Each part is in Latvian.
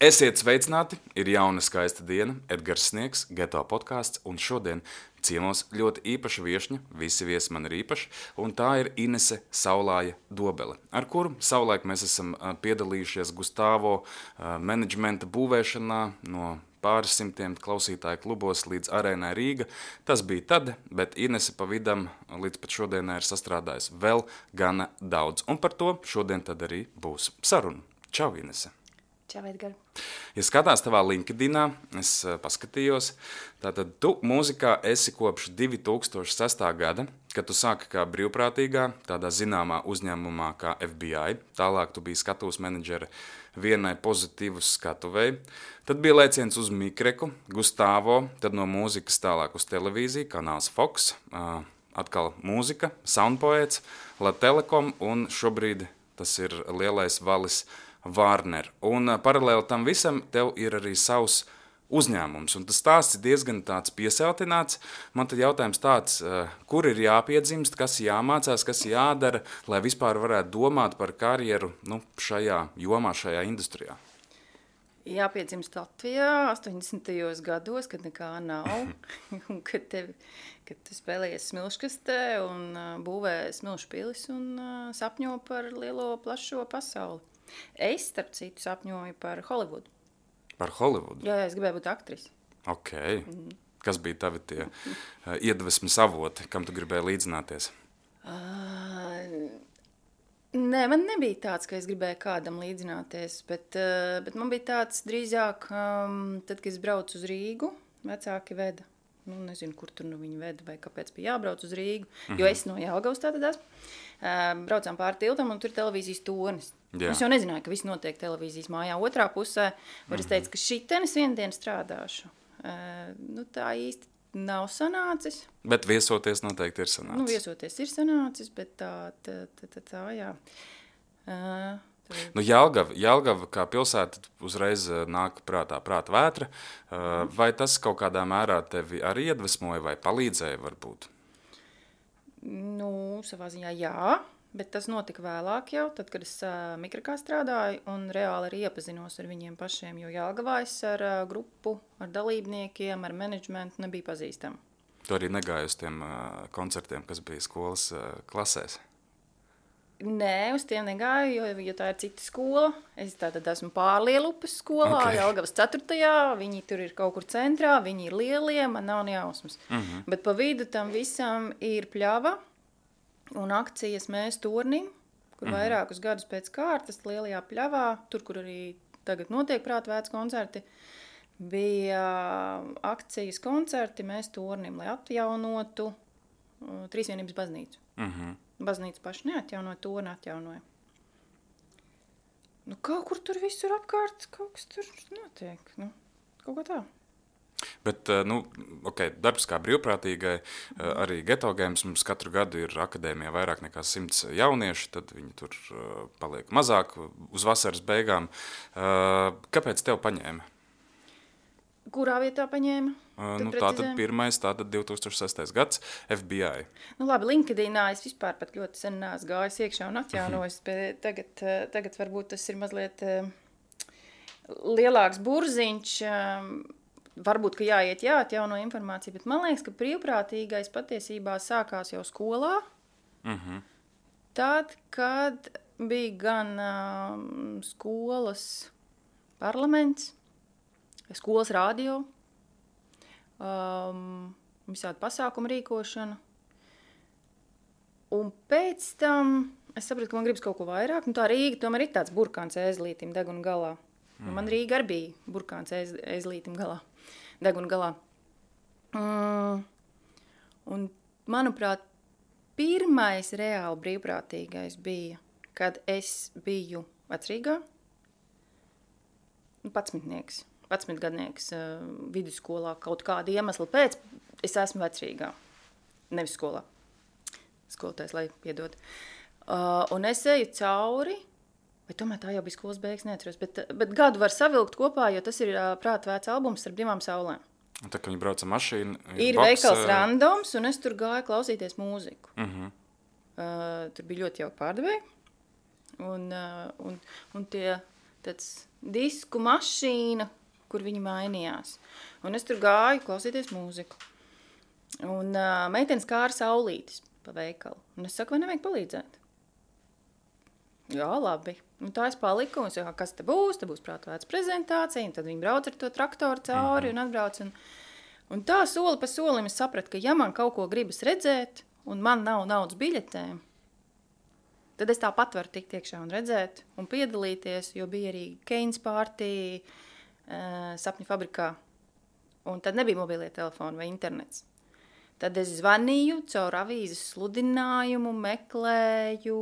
Esiet sveicināti, ir jauna skaista diena, Edgars Sniegs, Geto podkāsts, un šodien ciemos ļoti īpaša viešņa, visi viesi man ir īpaši, un tā ir Inese Saulāja Dobele, ar kuru savulaik mēs esam piedalījušies Gustavo menedžmenta būvēšanā no pāris simtiem klausītāju klubos līdz Arēnai Rīga. Tas bija tad, bet Inese pa vidam līdz pat šodienai ir sastrādājis vēl gana daudz, un par to šodien tad arī būs saruna. Čau, Inese! Čau, Edgar. Ja skatās tavā LinkedInā, es paskatījos, tātad tu mūzikā esi kopš 2006. gada, kad tu sāki kā brīvprātīgā, tādā zināmā uzņēmumā kā FBI, tālāk tu biji skatuves menedžere vienai pozitīvas skatuvei, tad bija lēciens uz Mikreku, Gustavo, tad no mūzikas tālāk uz televīziju, kanāls Fox, atkal mūzika, Soundpoets, La Telekom un šobrīd tas ir lielais valis Warner. Un paralēli tam visam tev ir arī savs uzņēmums. Un tas stāsts ir diezgan tāds piesātināts. Man tad jautājums tāds, kur ir jāpiedzimst, kas jāmācās, kas jādara, lai vispār varētu domāt par karjeru šajā jomā, šajā industrijā? Jāpiedzimst Latvijā 80. gados, kad nekā nav, un kad tu spēlējies smilškastē un būvē smilšu pilis un sapņo par lielo plašo pasauli. Es, starp citu, sapņoju par Holivudu. Par Holivudu? Jā, es gribēju būt aktrise. Ok. Kas bija tavi tie iedvesmas avoti, kam tu gribēji līdzināties? Nē, man nebija tāds, ka es gribēju kādam līdzināties, bet man bija tāds drīzāk, tad, kad es braucu uz Rīgu, vecāki veda. Nezinu, kur tur viņi veda vai kāpēc bija jābrauc uz Rīgu, jo es no Jelgavas tātad esmu. Braucām pāri tiltam un tur televīzijas tornis. Jā. Es jau nezināju, ka viss notiek televīzijas mājā otrā pusē, var es teicu, ka šitenis vienu dienu strādāšu. Tā īsti nav sanācis. Bet viesoties noteikti ir sanācis. Viesoties ir sanācis, bet tā jā. Jelgava kā pilsēta uzreiz nāk prātā vētra. Vai tas kaut kādā mērā tevi arī iedvesmoja vai palīdzēja varbūt? Savā ziņā jā, bet tas notika vēlāk jau, tad, kad es Mikrekā strādāju un reāli arī iepazinos ar viņiem pašiem, jo Jelgavā es ar grupu, ar dalībniekiem, ar menedžmentu nebija pazīstama. Tu arī negāji uz tiem koncertiem, kas bija skolas klasēs? Nē, uz tiem negāju, jo tā ir cita skola. Es tātad esmu Pārlielupas skolā, okay. Jelgavas 4. Viņi tur ir kaut kur centrā, viņi ir lielie, man nav nejausmas. Bet pa vidu tam visam ir pļava un akcijas Mēs tornim, kur vairākus gadus pēc kārtas lielajā pļavā, tur, kur arī tagad notiek prātvēts koncerti, bija akcijas koncerti Mēs tornim, lai atjaunotu Trīsvienības baznīcu. Baznīca paši neatjaunoja, torni atjaunoja. Kaut kur tur visur apkārt, kaut kas tur notiek, kaut kā tā. Bet, darbs kā brīvprātīgai, arī Geto Games mums katru gadu ir akadēmijā vairāk nekā 100 jaunieši, tad viņi tur paliek mazāk uz vasaras beigām. Kāpēc tev paņēma? Kurā vietā paņēma? Tātad pirmais, 2006. gads, FBI. Labi, LinkedInā es vispār pat ļoti sen neesmu gājis iekšā un atjaunojis, bet tagad varbūt tas ir mazliet lielāks burziņš. Varbūt, ka jāatjauno informācija, bet man liekas, ka brīvprātīgais patiesībā sākās jau skolā. Tad, kad bija gan skolas parlaments, skolas radio, visādi pasākumu rīkošana. Un pēc tam es sapratu, ka man gribas kaut ko vairāk. Tā Rīga tomēr ir tāds burkāns ēzlītim deguna galā. Man Rīga arī bija burkāns ēzlītim deguna galā. Un, manuprāt, pirmais reāli brīvprātīgais bija, kad es biju Vecrīgā, 11-gadnieks vidusskolā kaut kāda iemesla pēc, es esmu Vecrīgā, nevis skolā. Skolotājs, lai piedod. Un es eju cauri, vai tomēr tā jau bija skolas beigas, neatceros, bet gadu var savilkt kopā, jo tas ir prātvēts albums ar divām saulēm. Un tā, ka viņi brauca mašīna, ir veikals randoms, un es tur gāju klausīties mūziku. Tur bija ļoti jauki pārdevēji, un tie tāds disku mašīna, kur viņi mainījās. Un es tur gāju klausīties mūziku. Un meitenes kāra saulītis pa veikalu. Un es saku, vai nevajag palīdzēt? Jā, labi. Un tā es paliku, un es saku, kas te būs prātvētas prezentācija, un tad viņi brauc ar to traktoru cauri un atbrauc. Un tā soli pa solim es sapratu, ka ja man kaut ko gribas redzēt, un man nav naudas biļetēm, tad es tāpat varu tikt iekšā un redzēt un piedalīties, jo bija arī Keynes partija Sapņu fabrikā. Un tad nebija mobilie telefoni vai internets. Tad es zvanīju caur avīzes sludinājumu, meklēju,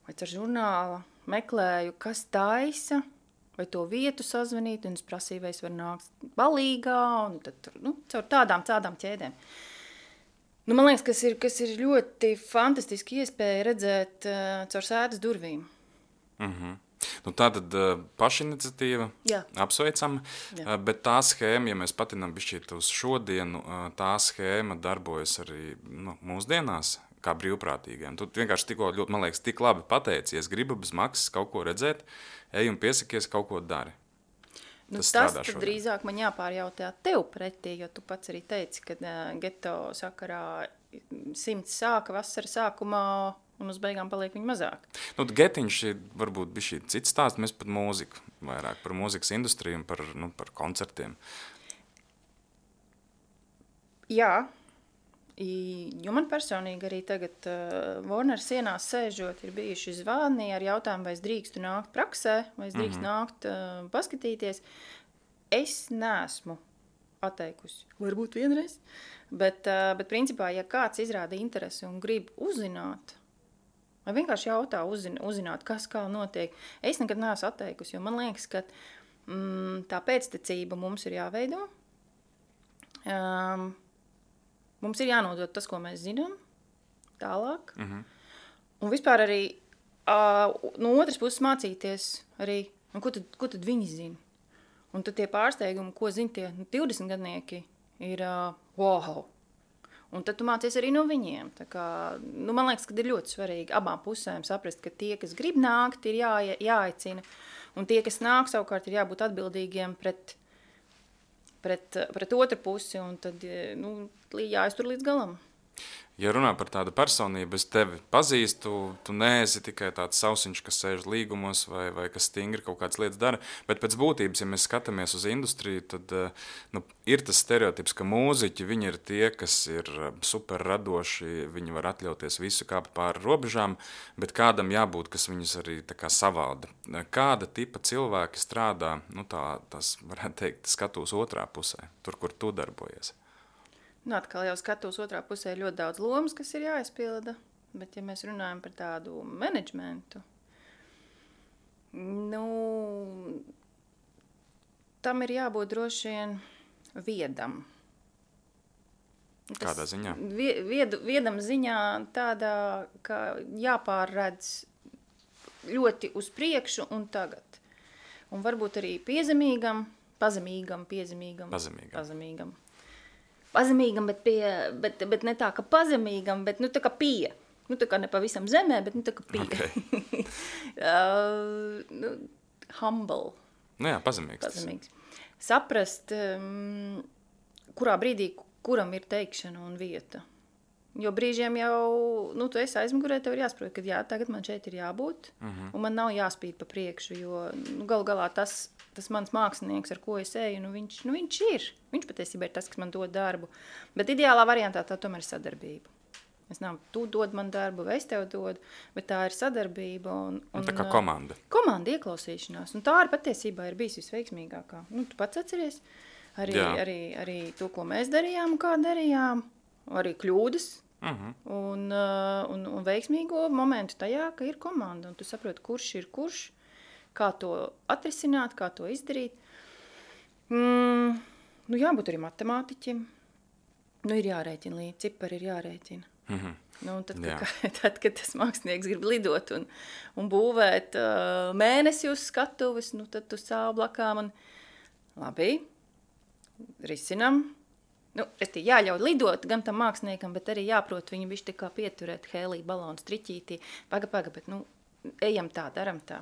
vai caur žurnālu, meklēju, kas taisa, vai to vietu sazvanīt, un es prasīju, vai es varu nākt balīgā, un tad, caur tādām ķēdēm. Man liekas, kas ir ļoti fantastiski iespēja redzēt caur sēdes durvīm. Tātad pašiniciatīva, apsveicama, bet tā schēma, ja mēs patinām bišķīt uz šodienu, tā schēma darbojas arī mūsdienās kā brīvprātīgiem. Tu vienkārši tikko, man liekas, tik labi pateici, ja es gribu bez maksas kaut ko redzēt, ej un piesakies, kaut ko dari. Tas tad drīzāk man jāpārjautā tev pretī, jo tu pats arī teici, ka geto sakarā 100 sāka vasara sākumā, un uz beigām paliek viņa mazāk. Getiņš varbūt bija šī cits stāsts, mēs par mūziku, vairāk par mūzikas industriju un par koncertiem. Jā, jo man personīgi arī tagad Warner sienās sēžot ir bijuši zvani ar jautājumu, vai es drīkstu nākt praksē, vai es drīkstu nākt paskatīties. Es neesmu atteikusi, varbūt vienreiz, bet principā, ja kāds izrāda interesi un grib uzzināt, vai vienkārši jautā uzzināt, kas kā notiek. Es nekad neesmu atteikusi, jo man liekas, ka tā pēctecība mums ir jāveido. Mums ir jānodod tas, ko mēs zinām, tālāk. Un vispār arī no otras puses mācīties arī, ko tad viņi zina. Un tad tie pārsteigumi, ko zina tie 20 gadnieki, ir wow. Un tad tu mācies arī no viņiem. Tā kā, man liekas, ka ir ļoti svarīgi abām pusēm saprast, ka tie, kas grib nākt, ir jāaicina. Un tie, kas nāk, savukārt ir jābūt atbildīgiem pret otru pusi. Un tad jāiztur līdz galam. Ja runā par tādu personību, es tevi pazīstu, tu neesi tikai tāds sausiņš, kas sēž līgumos vai kas stingri kaut kādas lietas dara, bet pēc būtības, ja mēs skatāmies uz industriju, tad ir tas stereotips, ka mūziķi, viņi ir tie, kas ir super radoši, viņi var atļauties visu kāpt pāri robežām, bet kādam jābūt, kas viņus arī tā kā savalda. Kāda tipa cilvēki strādā, tas varētu teikt, skatūs otrā pusē, tur, kur tu darbojies? Atkal jau skatos otrā pusē ļoti daudz lomas, kas ir jāizpilda, bet ja mēs runājam par tādu menedžmentu, tam ir jābūt droši vien viedam. Kādā ziņā? Viedam ziņā tādā, ka jāpārredz ļoti uz priekšu un tagad. Un varbūt arī pazemīgam, bet ne tā, ka pazemīgam, bet tā kā pie. Tā kā ne pavisam zemē, bet tā kā pie. Okay. Humble. Jā, pazemīgs. Saprast, kurā brīdī, kuram ir teikšana un vieta. Jo brīžiem jau, tu esi aizmugurē, tev ir jāsaprot, ka jā, tagad man šeit ir jābūt, un man nav jāspīd pa priekšu, jo galu galā tas mans mākslinieks, ar ko es eju, viņš ir. Viņš patiesībā ir tas, kas man dod darbu. Bet ideālā variantā tā tomēr ir sadarbība. Tu dod man darbu, vai es tev dodu, bet tā ir sadarbība. Un tā kā komanda. Komanda ieklausīšanās. Un tā arī patiesībā ir bijis visveiksmīgākā. Tu pats atceries arī to, ko mēs darījām un kā darījām. Arī kļūdas. Un veiksmīgo momentu tajā, ka ir komanda. Un tu saproti, kurš ir kurš, kā to atrisināt, kā to izdarīt. Jābūt arī matemātiķim. Ir jārēķina līdzi, cipari ir jārēķina. Tad, kad tas mākslinieks grib lidot un būvēt mēnesi uz skatuves, tad tu stāv blakām un labi, risinam. Jāļauj lidot gan tam māksliniekam, bet arī jāprot viņu bišķi tā kā pieturēt hēlī balonu striķītī. Paga, bet ejam tā, daram tā.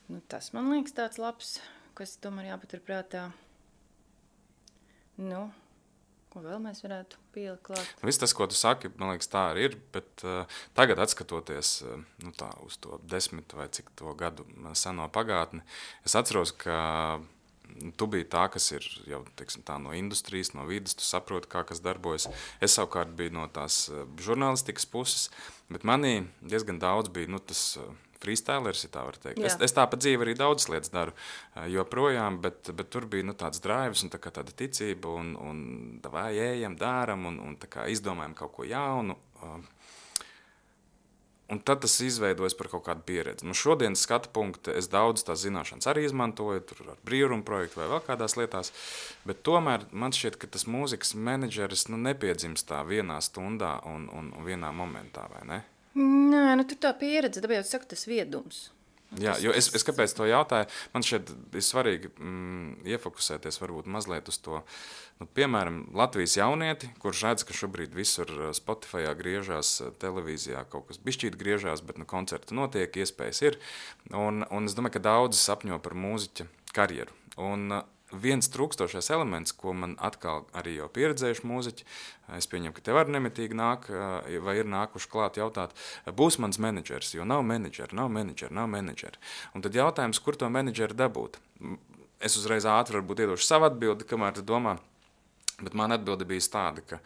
Nu, tas man liekas tāds labs, kas tomēr jāpatur prātā. Nu, ko vēl mēs varētu pielikt klāt? Viss tas, ko tu saki, man liekas, tā arī ir, bet tagad atskatoties tā, uz to 10 vai cik to gadu seno pagātni, es atceros, ka tu biji tā, kas ir jau teiksim, tā, no industrijas, no vidas, tu saproti, kā kas darbojas. Es savukārt biju no tās žurnālistikas puses, bet manī diezgan daudz bija tas freestylers, ja tā var teikt. Es tā pa dzīvi arī daudzas lietas daru joprojām, bet tur bija tāds drives un tāda ticība un vai ejam, dāram un tā kā izdomājam kaut ko jaunu. Un tad tas izveidojas par kaut kādu pieredzi. Šodienas skatu punkta es daudz tās zināšanas arī izmantoju, tur ar brīvrumu projektu vai vēl kādās lietās, bet tomēr man šķiet, ka tas mūzikas menedžeris nepiedzimst tā vienā stundā un vienā momentā, vai ne? Nē, tur tā pieredze, tāpēc jau saka tas viedums. Jā, jo es kāpēc to jautāju, man šeit ir svarīgi iefokusēties varbūt mazliet uz to, piemēram, Latvijas jaunieti, kurš redz, ka šobrīd visur Spotifyā griežās, televīzijā kaut kas bišķīt griežās, bet koncerti notiek, iespējas ir, un es domāju, ka daudzi sapņo par mūziķa karjeru. Un viens trūkstošais elements, ko man atkal arī jau pieredzējuši mūziķi, es pieņemu, ka tev arī nemitīgi nāk, vai ir nākuši klāt jautāt, būs mans menedžers, jo nav menedžeri. Un tad jautājums, kur to menedžeri dabūt? Es uzreiz ātri varbūt iedošu savu atbildi, kamēr tu domā, bet man atbilde bija tāda, ka,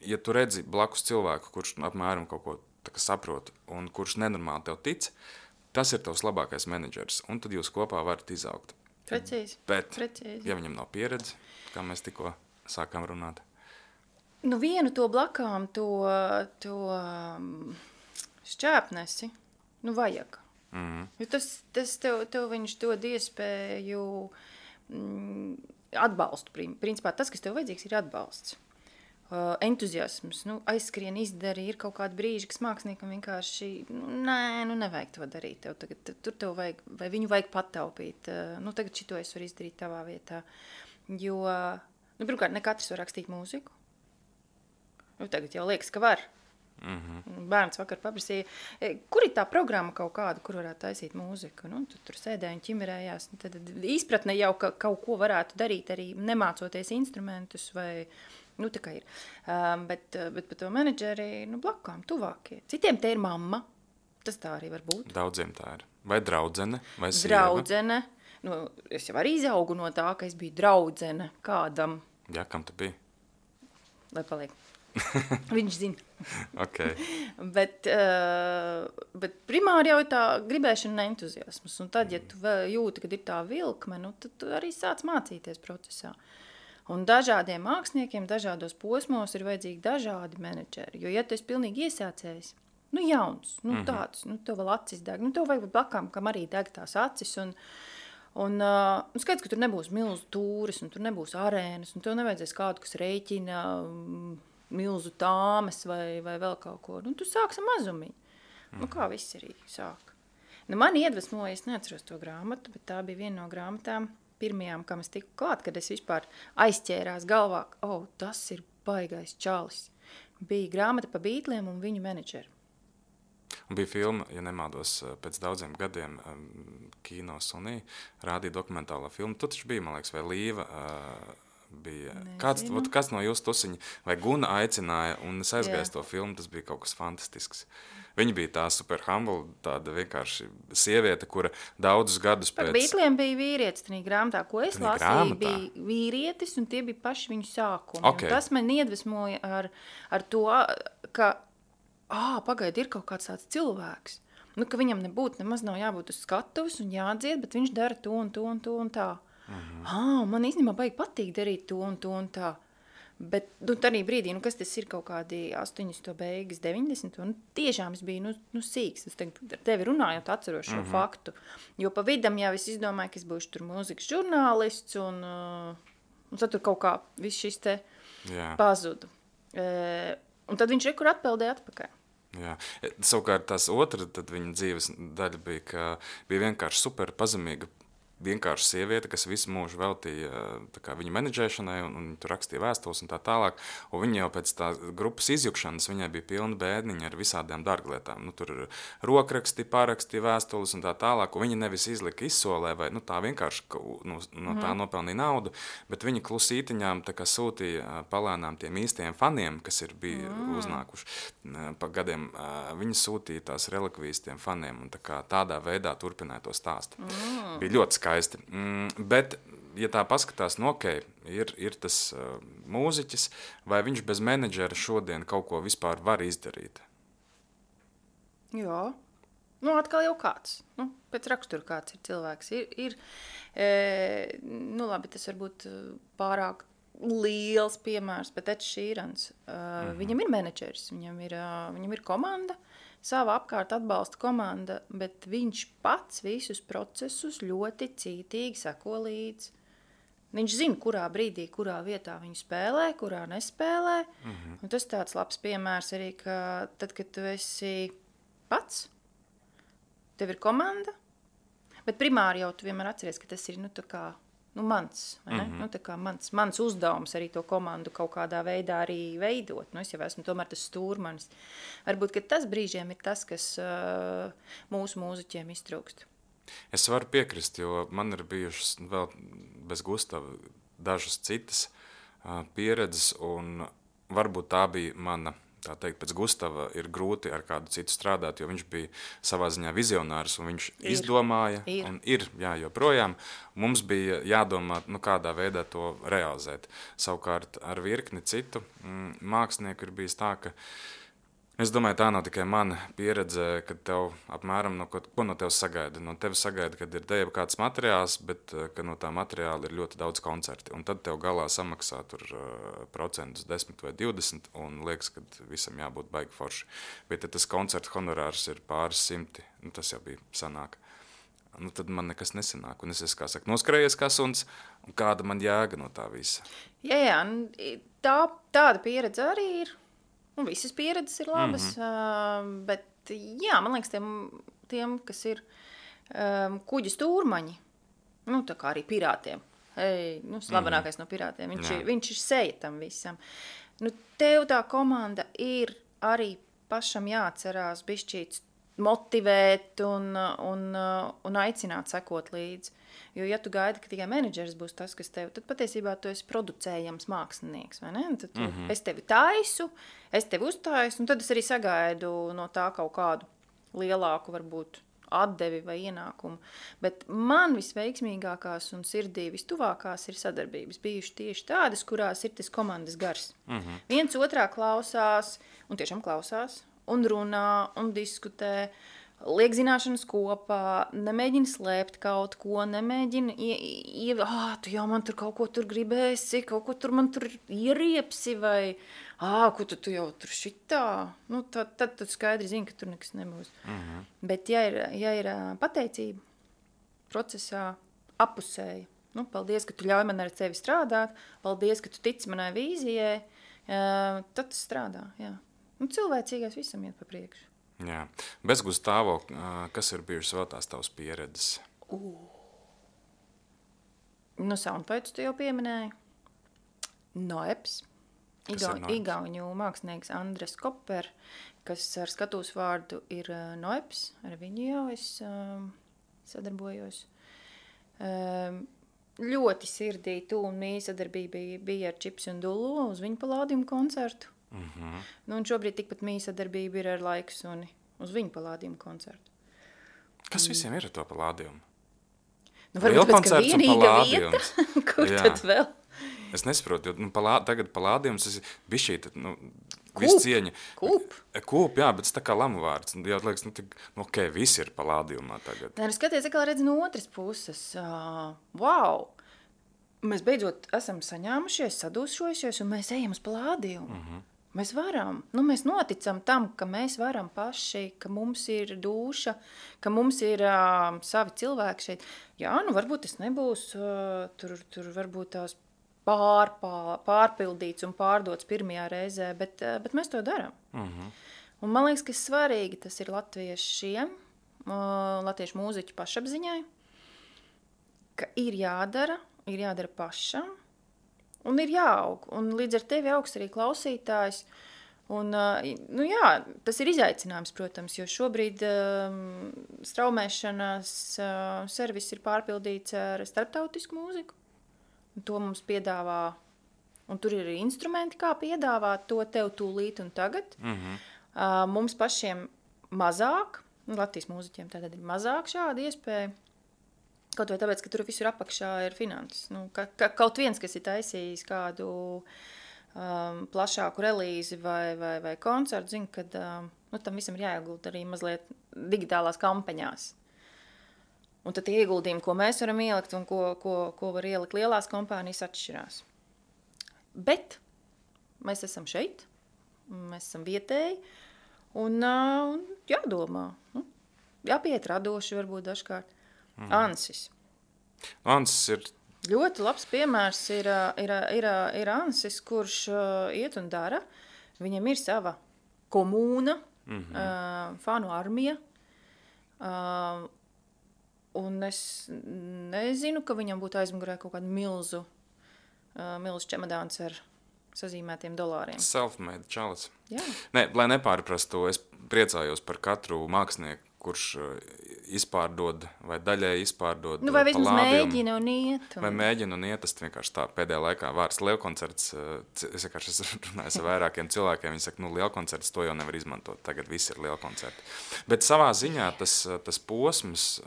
ja tu redzi blakus cilvēku, kurš apmēram kaut ko saprot un kurš nenormāli tev tic, tas ir tavs labākais menedžers, un tad jūs kopā varat izaugt. Precīzi. Bet, ja viņam nav pieredze, kā mēs tikko sākām runāt? Vienu to blakām, to šķēpnesi, vajag. Jo tas tev viņš dod iespēju atbalstu. Principā tas, kas tev vajadzīgs, ir atbalsts. Entuziasms, aizskrien, izdari, ir kaut kādi brīži, kas māksliniekam vienkārši, nevajag to darīt. Tur tev vajag, vai viņu vajag pataupīt. Tagad šito es varu izdarīt tavā vietā. Jo, pirmkārt, ne katrs var rakstīt mūziku. Tagad jau liekas, ka var. Bērns vakar paprasīja, kur ir tā programma kaut kāda, kur varētu taisīt mūziku. Tur sēdēja un ķimerējās. Tad izpratne jau, ka kaut ko varētu darīt arī nemācoties instrumentus vai... tā kā ir. Bet par to menedžeri, blakām, tuvākie. Citiem te ir mamma. Tas tā arī var būt. Daudziem tā ir. Vai draudzene, vai sieva? Draudzene. Es jau arī izaugu no tā, ka es biju draudzene kādam. Jā, kam tu biji? Lai paliek. Viņš zina. Okay. Bet primāri jau ir tā gribēšana un entuziasmas. Un tad, ja tu jūti, kad ir tā vilkme, tad tu arī sāc mācīties procesā. Un dažādiem māksliniekiem, dažādos posmos ir vajadzīgi dažādi menedžeri. Jo, ja tu esi pilnīgi iesācējis, jauns, tāds, tev vēl acis deg, tev vajag blakām, kam arī deg tās acis. Un skaidrs, ka tur nebūs milzu tūris, un tur nebūs arēnas, un tev nevajadzēs kādu, kas rēķina milzu tāmes vai vēl kaut ko. Tu sāksi mazumiņu. Kā viss arī sāk. Mani iedvesmoja, es neatceros to grāmatu, bet tā bija viena no grāmatām, pirmajām, kam es tiku klāt, kad es vispār aizķērās galvā, tas ir baigais čalis. Bija grāmata pa Beatliem un viņu menedžeri. Un bija filma, ja nemaldos, pēc daudziem gadiem Kino Sunī rādīja dokumentālo filmu. Tu taču bija, man liekas, vai Līva bija. Kāds no jūsu tusiņa vai Guna aicināja un es aizgāju to filmu, tas bija kaut kas fantastisks. Viņa bija tā super humble, tāda vienkārši sieviete, kura daudzus gadus pēc... Par Beatliem bija vīrietis tajā grāmatā, ko es lasīju, bija vīrietis, un tie bija paši viņu sākumi. Okay. Tas man iedvesmoja ar to, ka, pagaidi, ir kaut kāds tāds cilvēks, ka viņam nebūtu, nemaz nav jābūt uz skatuves un jādzied, bet viņš dara to un to un to un tā. Man īstenībā baigi patīk darīt to un to un tā. Bet tādā brīdī, kas tas ir kaut kādi 80. beigas, 90. Un tiešām es biju sīks. Es ar tevi runājot atceros šo faktu. Jo pa vidam jau es izdomāju, ka es būšu tur mūzikas žurnālists un tad tur kaut kā viss šis te pazudu. Un tad viņš rekur atpeldēja atpakaļ. Jā. Savukārt tās otra, tad viņa dzīves daļa bija, ka bija vienkārši super pazemīga vienkārši sieviete, kas visu mūžu veltīja viņa menedžēšanai un tur rakstīja vēstules un tā tālāk. Un viņa jau pēc tā grupas izjukšanas, viņai bija pilna bēdniņa ar visādām dārglietām. Tur ir rokraksti, pāraksti, vēstules un tā tālāk. Un viņa nevis izlika izsolē vai tā vienkārši no tā nopelnīja naudu, bet viņa klusītiņām sūtīja palēnām tiem īstajiem faniem, kas bija uznākuši pa gadiem. Viņa sūtīja tās relikvijas tiem faniem un tādā veidā turpināja to stāstu. Bija ļoti skaisti. Bet, ja tā paskatās, ir tas mūziķis, vai viņš bez menedžera šodien kaut ko vispār var izdarīt? Jā. Atkal jau kāds. Pēc rakstura kāds ir cilvēks. Labi, tas varbūt pārāk liels piemērs, bet Ed Sheerans. Viņam ir menedžeris, viņam ir komanda, sava apkārt atbalsta komanda, bet viņš pats visus procesus ļoti cītīgi seko līdzi. Viņš zina, kurā brīdī, kurā vietā viņu spēlē, kurā nespēlē. Un tas tāds labs piemērs arī, ka tad, kad tu esi pats, tev ir komanda, bet primāri jau tu vienmēr atceries, ka tas ir mans, vai ne? Mans uzdevums arī to komandu kaut kādā veidā arī veidot. Es jau esmu tomēr tas stūrmanis. Varbūt, ka tas brīžiem ir tas, kas mūsu mūziķiem iztrūkst. Es varu piekrist, jo man ir bijušas vēl bez Gustava dažas citas pieredzes, un varbūt tā bija mana. Tā teikt, pēc Gustava ir grūti ar kādu citu strādāt, jo viņš bija savā ziņā vizionārs, un viņš izdomāja, un ir joprojām. Mums bija jādomā, kādā veidā to realizēt. Savukārt ar virkni citu mākslinieku ir bijis tā, ka es domāju, tā nav tikai mana pieredze, kad tev apmēram ko no tevis sagaida. No tevis sagaida, kad ir tev kāds materiāls, bet ka no tā materiāla ir ļoti daudz koncerti. Un tad tev galā samaksā tur procentus 10 vai 20, un liekas, ka visam jābūt baigi forši. Bet ja tas koncerta honorārs ir pāris simti, tas jau bija sanāk. Tad man nekas nesanāk. Un es kā saka, noskrējies kā suns, un kāda man jēga no tā visa. Jā, tāda pieredze arī ir. Visas pieredzes ir labas, bet jā, man liekas, tiem kas ir kuģa stūrmaņi, tā kā arī pirātiem, slavenākais no pirātiem, viņš ir seja tam visam. Tev tā komanda ir arī pašam jāatcerās bišķīt motivēt un aicināt sekot līdzi. Jo, ja tu gaidi, ka tikai menedžers būs tas, kas tev, tad patiesībā tu esi producējams mākslinieks, vai ne? Tad es tevi taisu, es tevi uztaisu, un tad es arī sagaidu no tā kaut kādu lielāku, varbūt, atdevi vai ienākumu. Bet man visveiksmīgākās un sirdī vistuvākās ir sadarbības bijuši tieši tādas, kurās ir tas komandas gars. Viens otrā klausās, un tiešām klausās, un runā, un diskutē, liek zināšanas kopā, nemēģina slēpt kaut ko, nemēģina tu jau man tur kaut ko tur gribēsi, kaut ko tur man tur ieriepsi, vai ko tu jau tur šitā. Tad tu skaidri zini, ka tur nekas nebūs. Bet ja ir pateicība procesā apusēja, paldies, ka tu ļauj man ar tevi strādāt, paldies, ka tu tici manai vīzijai, tad tas strādā, jā. Cilvēcīgais visam iet pa priekšu. Jā. Bez Gustavo, kas ir bijušas vēl tās tavas pieredzes? Soundbites tu jau pieminēji. Noeps. Igauņu mākslinieks Andres Koper, kas ar skatūs vārdu ir Noeps. Ar viņu jau es sadarbojos. Ļoti sirdī un mīja sadarbība bija ar Čips un Dulu uz viņu palādījumu koncertu. Un šobrīd tikpat mīja sadarbība ir ar Laiksuni uz viņu palādījumu koncertu. Kas visiem ir ar to palādījumu? Varbūt pēc, ka vienīga vieta, kur tad vēl? Es nesaprotu, jo tagad palādījums ir bišķīt, visu cieņa. Kūp, jā, bet tas tā kā lamu vārds. Jā, liekas, visi ir palādījumā tagad. Skaties, kā redz no otras puses. Wow! Mēs beidzot esam saņēmušies, sadūšojušies, un mēs ejam uz palādījumu. Mēs varam, mēs noticam tam, ka mēs varam paši, ka mums ir dūša, ka mums ir savi cilvēki šeit. Jā, varbūt tas nebūs, tur varbūt tās pārpildīts un pārdots pirmajā reizē, bet mēs to daram. Un man liekas, ka svarīgi tas ir latviešiem, latviešu mūziķu pašapziņai, ka ir jādara pašam, un ir jāaug. Un līdz ar tevi augs arī klausītājs. Un, nu jā, tas ir izaicinājums, protams, jo šobrīd straumēšanas servis ir pārpildīts ar starptautisku mūziku. Un to mums piedāvā, un tur ir arī instrumenti, kā piedāvāt to tev tūlīt un tagad. Mums pašiem mazāk, Latvijas mūziķiem tātad ir mazāk šāda iespēja. Kaut vai tāpēc, ka tur visur apakšā ir finanses. Nu, kaut viens, kas ir taisījis kādu plašāku relīzi vai koncertu, zina, ka nu, tam visam ir jāiegulda arī mazliet digitālās kampaņās. Un tad tie ieguldījumi, ko mēs varam ielikt un ko var ielikt lielās kompānijas, atšķirās. Bet mēs esam šeit, mēs esam vietēji, un jādomā, jāpiet radoši varbūt dažkārt. Ansis. Ansis ir... Ļoti labs piemērs ir Ansis, kurš iet un dara. Viņam ir sava komūna, fanu armija, un es nezinu, ka viņam būtu aizmugurē kaut kādu milzu čemodāns ar sazīmētiem dolāriem. Self-made čalis. Jā. Nē, lai nepārprastu, es priecājos par katru mākslinieku, kurš izpārdod vai daļai izpārdod vai vismaz mēģina un iet. Vai mēģina un iet, tas vienkārši tā pēdējā laikā vārds lielkoncerts, es vienkārši runāju ar vairākiem cilvēkiem, viņi saka, lielkoncerts to jau nevar izmantot, tagad viss ir lielkoncerti. Bet savā ziņā tas posms,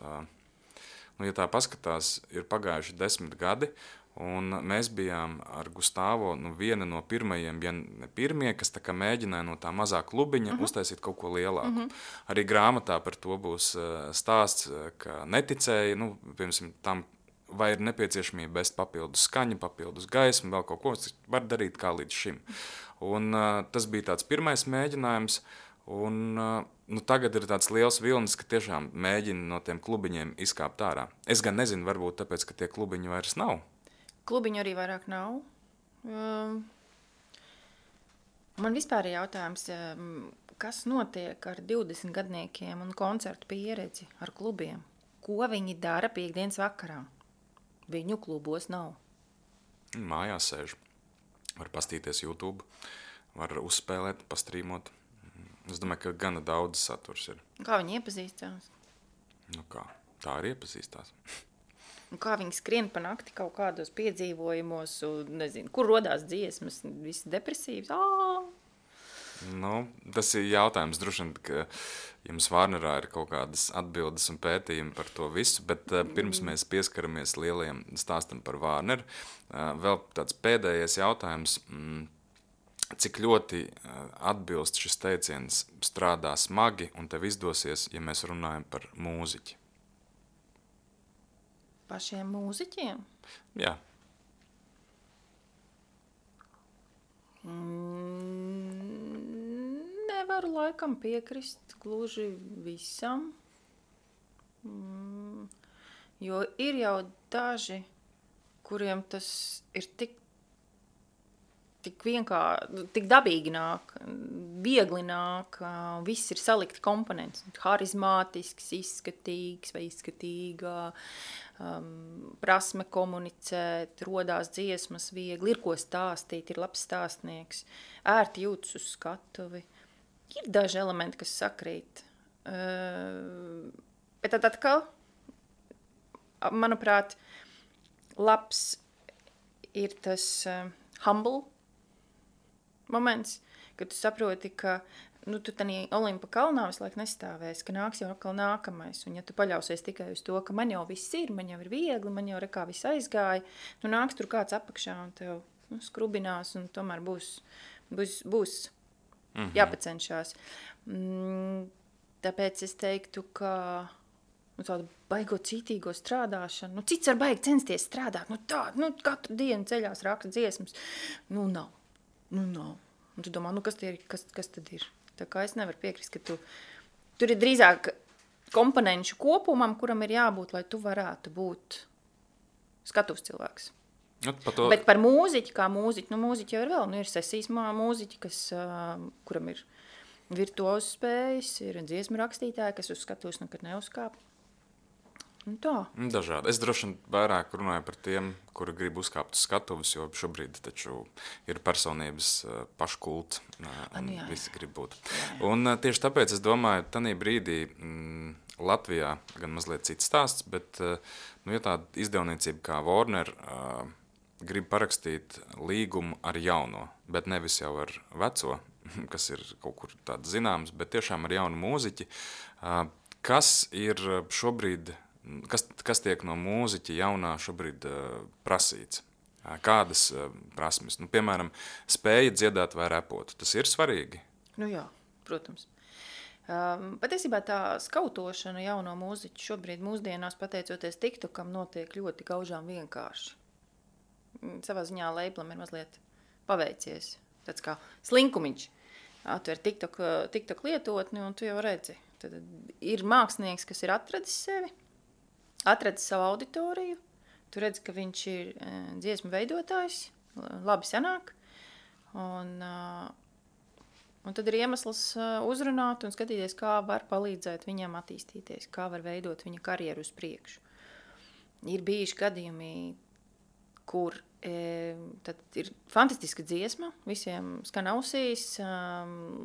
ja tā paskatās, ir pagājuši 10 gadi, un mēs bijām ar Gustavo viena no pirmajiem, ja ne pirmie, kas tā kā mēģināja no tā mazā klubiņa uztaisīt kaut ko lielāku. Arī grāmatā par to būs stāsts, ka neticēja, piemēram, tam vai ir nepieciešamība best papildus skaņa, papildus gaismu, vēl kaut ko, var darīt kā līdz šim. Un tas bija tāds pirmais mēģinājums, un tagad ir tāds liels vilnis, ka tiešām mēģina no tiem klubiņiem izkāpt ārā. Es gan nezinu, varbūt tāpēc, ka tie klubiņi vairs nav. Klubiņu arī vairāk nav. Man vispār ir jautājums, kas notiek ar 20 gadniekiem un koncertu pieredzi ar klubiem? Ko viņi dara piekdienas vakarā? Viņu klubos nav. Mājās sēž. Var pastīties YouTube, var uzspēlēt, pastrīmot. Es domāju, ka gana daudz saturs ir. Kā viņi iepazīstās? Tā arī iepazīstās. Un kā viņi skrien pa nakti kaut kādos piedzīvojumos, un nezinu, kur rodās dziesmas, visi depresīvs. Tas ir jautājums, droši vien, ka jums Vārnerā ir kaut kādas atbildes un pētījumi par to visu, bet pirms mēs pieskaramies lielajiem stāstam par Vārneru, vēl tāds pēdējais jautājums, cik ļoti atbilst šis teiciens strādā smagi un tev izdosies, ja mēs runājam par mūziķi? Pašiem mūziķiem? Jā. Nevaru laikam piekrist gluži visam, jo ir jau daži, kuriem tas ir tik dabīgi nāk, viegli nāk, viss ir salikti komponents, harizmātisks, izskatīgs vai izskatīgā, prasme komunicēt, rodās dziesmas viegli, ir ko stāstīt, ir labs stāstnieks, ērti jūtas uz skatuvi. Ir daži elementi, kas sakrīt. Bet tad atkal, manuprāt, labs ir tas humble moments, kad tu saproti, ka tu tanī Olimpa kalnā visu laiku nestāvēsi, ka nāks jau atkal nākamais. Un ja tu paļausies tikai uz to, ka man jau viss ir, man jau ir viegli, man jau rekā viss aizgāja, nāks tur kāds apakšā un tev skrubinās un tomēr būs jāpacenšās. Tāpēc es teiktu, ka tādu baigo cītīgo strādāšanu, cits var baigi censties strādāt, katru dienu ceļās raksta dziesmas, nav. Un tu domā, kas tad ir? Tā kā es nevaru piekrist, ka tur ir drīzāk komponenšu kopumam, kuram ir jābūt, lai tu varētu būt skatuvs cilvēks. Bet par mūziķi, kā mūziķi, mūziķi jau ir vēl, ir sesijas mūziķi, kuram ir virtuozu spējas, ir dziesmu rakstītāji, kas uz skatuvs nekad neuzkāp. Tā. Dažādi. Es droši vien vairāk runāju par tiem, kuri grib uzkāpt uz skatuves, jo šobrīd taču ir personības paškults, un visi grib būt. Jā. Un tieši tāpēc es domāju, tanī brīdī Latvijā gan mazliet cits stāsts, bet ja tāda izdevniecība kā Warner grib parakstīt līgumu ar jauno, bet nevis jau ar veco, kas ir kaut kur tāds zināms, bet tiešām ar jaunu mūziķi, kas ir šobrīd, kas tiek no mūziķa jaunā šobrīd prasīts? Kādas prasmes? Nu, piemēram, spēja dziedāt vai repot. Tas ir svarīgi? Nu jā, protams. Patiesībā tā skautošana jauno mūziķu šobrīd mūsdienās, pateicoties TikTokam, notiek ļoti gaužām vienkārši. Savā ziņā lablam ir mazliet paveicies. Tāds kā slinkumiņš. Atver TikTok lietotni un tu jau redzi. Tad ir mākslinieks, kas ir atradis sevi, atradis savu auditoriju, tu redzi, ka viņš ir dziesmu veidotājs, labi sanāk, un tad ir iemesls uzrunāt un skatīties, kā var palīdzēt viņam attīstīties, kā var veidot viņa karjeru uz priekšu. Ir bijuši gadījumi, kur tad ir fantastiska dziesma, visiem skan ausīs,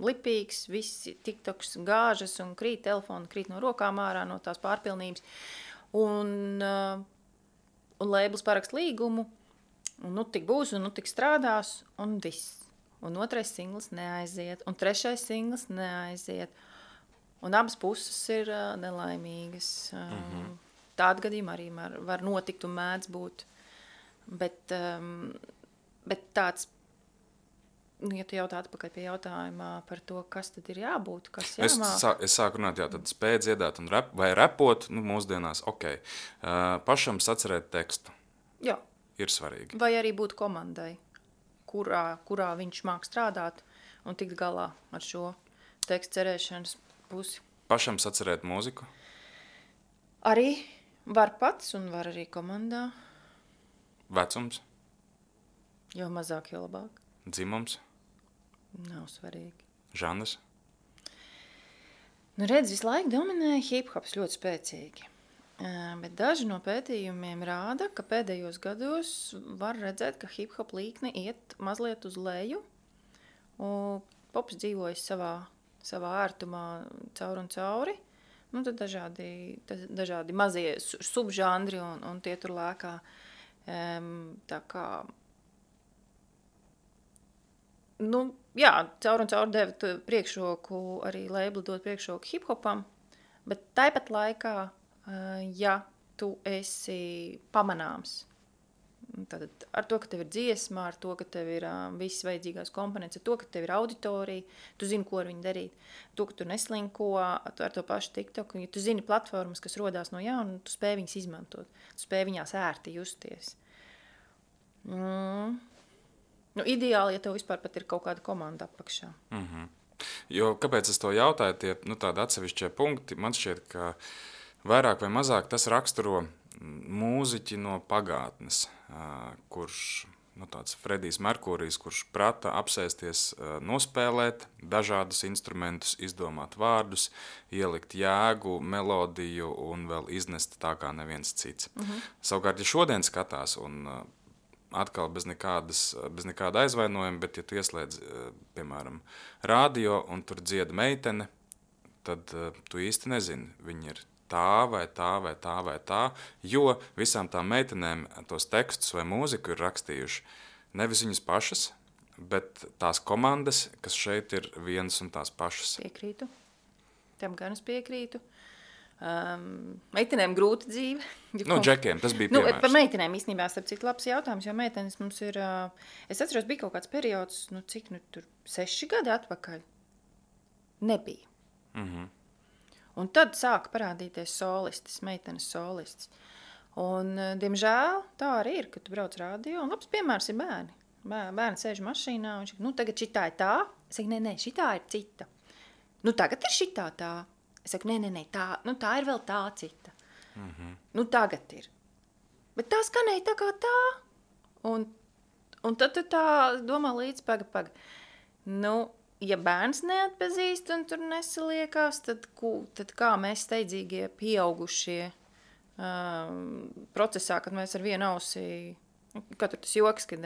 lipīgs, visi TikToks gāžas un krīt telefonu, krīt no rokām ārā, no tās pārpilnības. Un labels parakst līgumu, un nu tik būs, un nu tik strādās, un viss. Un otrais singls neaiziet, un trešais singls neaiziet. Un abas puses ir nelaimīgas. Tāda gadījuma arī var notikt un mēdz būt. Bet tāds, ja tu jautā atpakaļ pie jautājumā par to, kas tad ir jābūt, kas jāmāk. Es sāku runāt, tad spēja dziedāt un vai repot, mūsdienās, ok. Pašam sacerēt tekstu. Jā. Ir svarīgi. Vai arī būt komandai, kurā viņš māk strādāt un tikt galā ar šo tekstu cerēšanas pusi. Pašam sacerēt mūziku? Arī var pats un var arī komandā. Vecums? Jo mazāk, jo labāk. Dzimums? Nav svarīgi. Žanrs? Nu redz, visu laiku dominē hip-hops ļoti spēcīgi. Bet daži no pētījumiem rāda, ka pēdējos gados var redzēt, ka hip-hop līkne iet mazliet uz leju. Pops dzīvojas savā ērtumā caur un cauri. Nu, tad dažādi mazie subžanri un tie tur lēkā. Tā kā jā, caur un caur deva priekšroku, arī labeli dod priekšroku hip-hopam, bet tāpat laikā, ja tu esi pamanāms, tad ar to, ka tev ir dziesma, ar to, ka tev ir visas vajadzīgās komponents, ar to, ka tev ir auditorija, tu zini, ko ar viņu darīt, to, ka tu neslinko ar to pašu TikToku, ja tu zini platformas, kas rodās no jauna, tu spēj viņas izmantot, tu spēj viņās ērti justies. Ideāli, ja tev vispār pat ir kaut kāda komanda apakšā. Jo, kāpēc es to jautāju, tie tādi atsevišķie punkti, man šķiet, ka vairāk vai mazāk tas raksturo mūziķi no pagātnes, kurš, tāds Fredijs Merkurijs, kurš prata apsēsties, nospēlēt dažādus instrumentus, izdomāt vārdus, ielikt jēgu, melodiju un vēl iznest tā kā neviens cits. Savukārt, ja šodien skatās un atkal bez nekāda aizvainojuma, bet ja tu ieslēdz, piemēram, radio un tur dzieda meitene, tad tu īsti nezini, viņi ir tā vai tā vai tā vai tā, jo visām tām meitenēm tos tekstus vai mūziku ir rakstījuši nevis viņas pašas, bet tās komandas, kas šeit ir vienas un tās pašas. Piekrītu. Tam gan es piekrītu. Meitenēm grūta dzīve. Džekiem, tas bija piemērs. Par meitenēm īstenībā starp citu labs jautājums, jo meitenes mums ir, es atceros, bija kaut kāds periods, tur 6 gadi atpakaļ. Nebija. Un tad sāka parādīties solistis, meitenes solistis. Un, diemžēl, tā arī ir, kad tu brauc radio, un labs piemērs ir bērni. Bērni sēž mašīnā, un viņš saka, tagad šitā ir tā. Es saku, nē, šitā ir cita. Tagad ir šitā tā. Es saku, nē, tā ir vēl tā cita. Tagad ir. Bet tā skanēja tā kā tā. Un tad tu tā domā līdz, paga. Ja bērns neatpazīst un tur nesaliekās, tad kā mēs steidzīgie pieaugušie procesā, kad mēs ar vienu ausi, katru tas joks, kad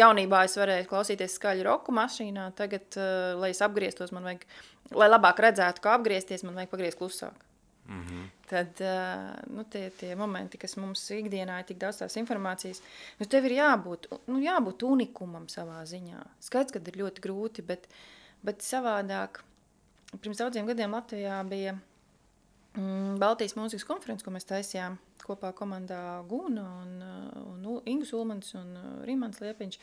jaunībā es varēju klausīties skaļu roku mašīnā, tagad, lai es apgrieztos, man vajag, lai labāk redzētu, kā apgriezties, man vajag pagriezt klusāk. Tad tie momenti, kas mums ikdienā ir tik daudz tās informācijas, tev ir jābūt unikumam savā ziņā. Skaidrs, kad ir ļoti grūti, bet savādāk. Pirms daudziem gadiem Latvijā bija Baltijas mūzikas konferences, ko mēs taisījām kopā komandā Guna un Ingus Ulmans un Rimans Liepiņš.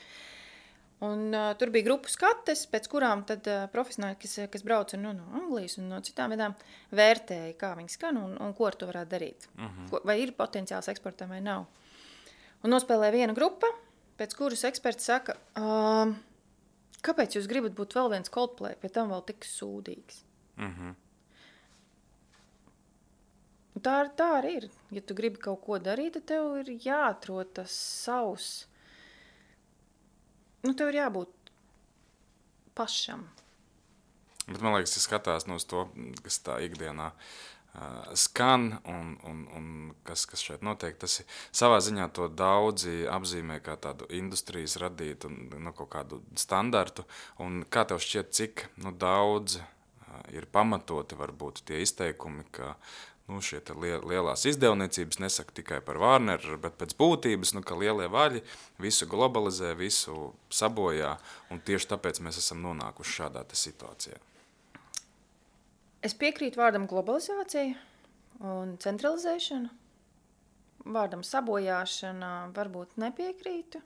Un tur bija grupu skates, pēc kurām tad profesionāļi, kas brauca no Anglijas un no citām vietām, vērtēja, kā viņi skan un ko ar to varētu darīt. Vai ir potenciāls eksportam vai nav. Un nospēlēja viena grupa, pēc kuras eksperts saka, kāpēc jūs gribat būt vēl viens Coldplay, pie tam vēl tik sūdīgs? Tā arī ir. Ja tu gribi kaut ko darīt, tad tev ir jāatrod tas savs. Tev ir jābūt pašam. Bet man liekas, ja skatās uz to, kas tā ikdienā skan un kas šeit notiek, tas ir savā ziņā to daudzi apzīmē kā tādu industrijas radītu un kaut kādu standartu. Un kā tev šķiet, cik daudz ir pamatoti varbūt tie izteikumi, ka šie lielās izdevniecības nesaka tikai par Warner, bet pēc būtības, ka lielie vaļi visu globalizē, visu sabojā, un tieši tāpēc mēs esam nonākuši šādā situācijā. Es piekrītu vārdam globalizācija un centralizēšana. Vārdam sabojāšana varbūt nepiekrītu,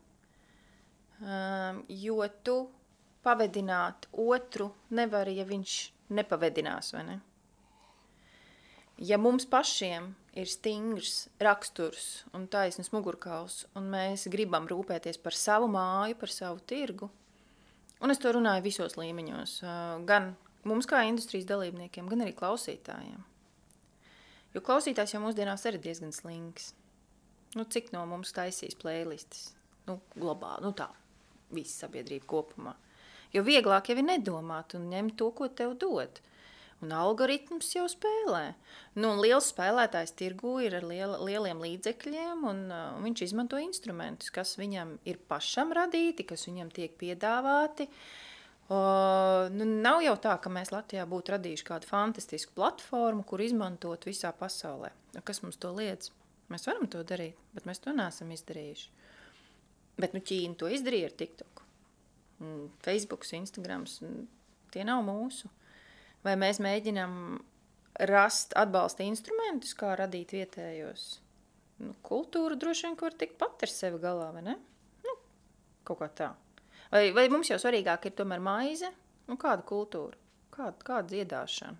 jo tu pavedināt otru nevari, ja viņš nepavedinās, vai ne? Ja mums pašiem ir stingrs raksturs un taisnas mugurkauls, un mēs gribam rūpēties par savu māju, par savu tirgu, un es to runāju visos līmeņos, gan mums kā industrijas dalībniekiem, gan arī klausītājiem. Jo klausītājs jau mūsdienās arī diezgan slinks. Cik no mums taisīs playlistes? Globāli, tā, visa sabiedrība kopumā. Jo vieglāk jau ir nedomāt un ņemt to, ko tev dod. Un algoritms jau spēlē. Liels spēlētājs tirgu ir ar lieliem līdzekļiem, un viņš izmanto instrumentus, kas viņam ir pašam radīti, kas viņam tiek piedāvāti. Nav jau tā, ka mēs Latvijā būtu radījuši kādu fantastisku platformu, kur izmantot visā pasaulē. Kas mums to liedz? Mēs varam to darīt, bet mēs to neesam izdarījuši. Bet Ķīna to izdarīja ar TikTok. Facebooks, Instagrams, tie nav mūsu. Vai mēs mēģinām rast atbalsta instrumentus, kā radīt vietējos? Kultūra droši vien, var tikt pat ar sevi galā, vai ne? Kaut kā tā. Vai mums jau svarīgāk ir tomēr maize? Kāda kultūra? Kāda dziedāšana?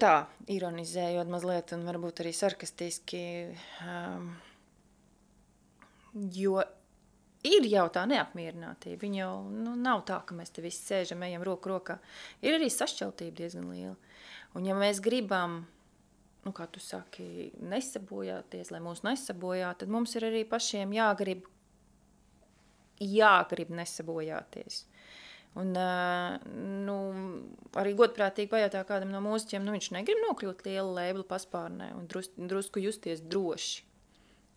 Tā, ironizējot mazliet un varbūt arī sarkastiski, jo ir jau tā neapmierinātība. Viņa jau nav tā, ka mēs te visi sēžam, ejam roku rokā. Ir arī sašķeltība diezgan liela. Un ja mēs gribam, kā tu saki, nesabojāties, lai mūs nesabojā, tad mums ir arī pašiem jāgrib nesabojāties. Un arī godprātīgi pajautā kādam no mūziķiem, viņš negrib nokļūt liela lēbla paspārnē un drusku justies droši.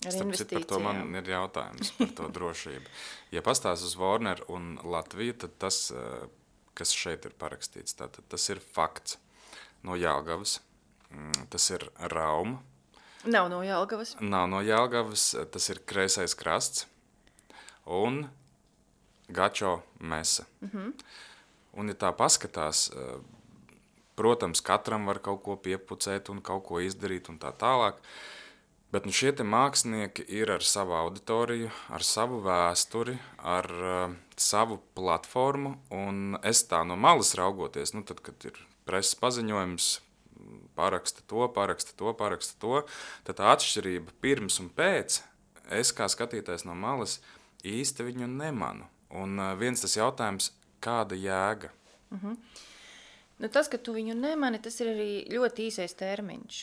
Par to man ir jautājums par to drošību. Ja pastāst uz Warner un Latviju, tad tas, kas šeit ir parakstīts, tas ir fakts no Jelgavas, tas ir Rauma. Nav no Jelgavas. Nav no Jelgavas, tas ir Kreisais krasts un Gačo mesa. Un ja tā paskatās, protams, katram var kaut ko piepucēt un kaut ko izdarīt un tā tālāk, bet šie te mākslinieki ir ar savu auditoriju, ar savu vēsturi, ar savu platformu, un es tā no malas raugoties, tad, kad ir preses paziņojums, paraksta to, tad tā atšķirība pirms un pēc, es kā skatītājs no malas īsti viņu nemanu. Un viens tas jautājums, kāda jēga? Tas, ka tu viņu nemani, tas ir arī ļoti īsais termiņš.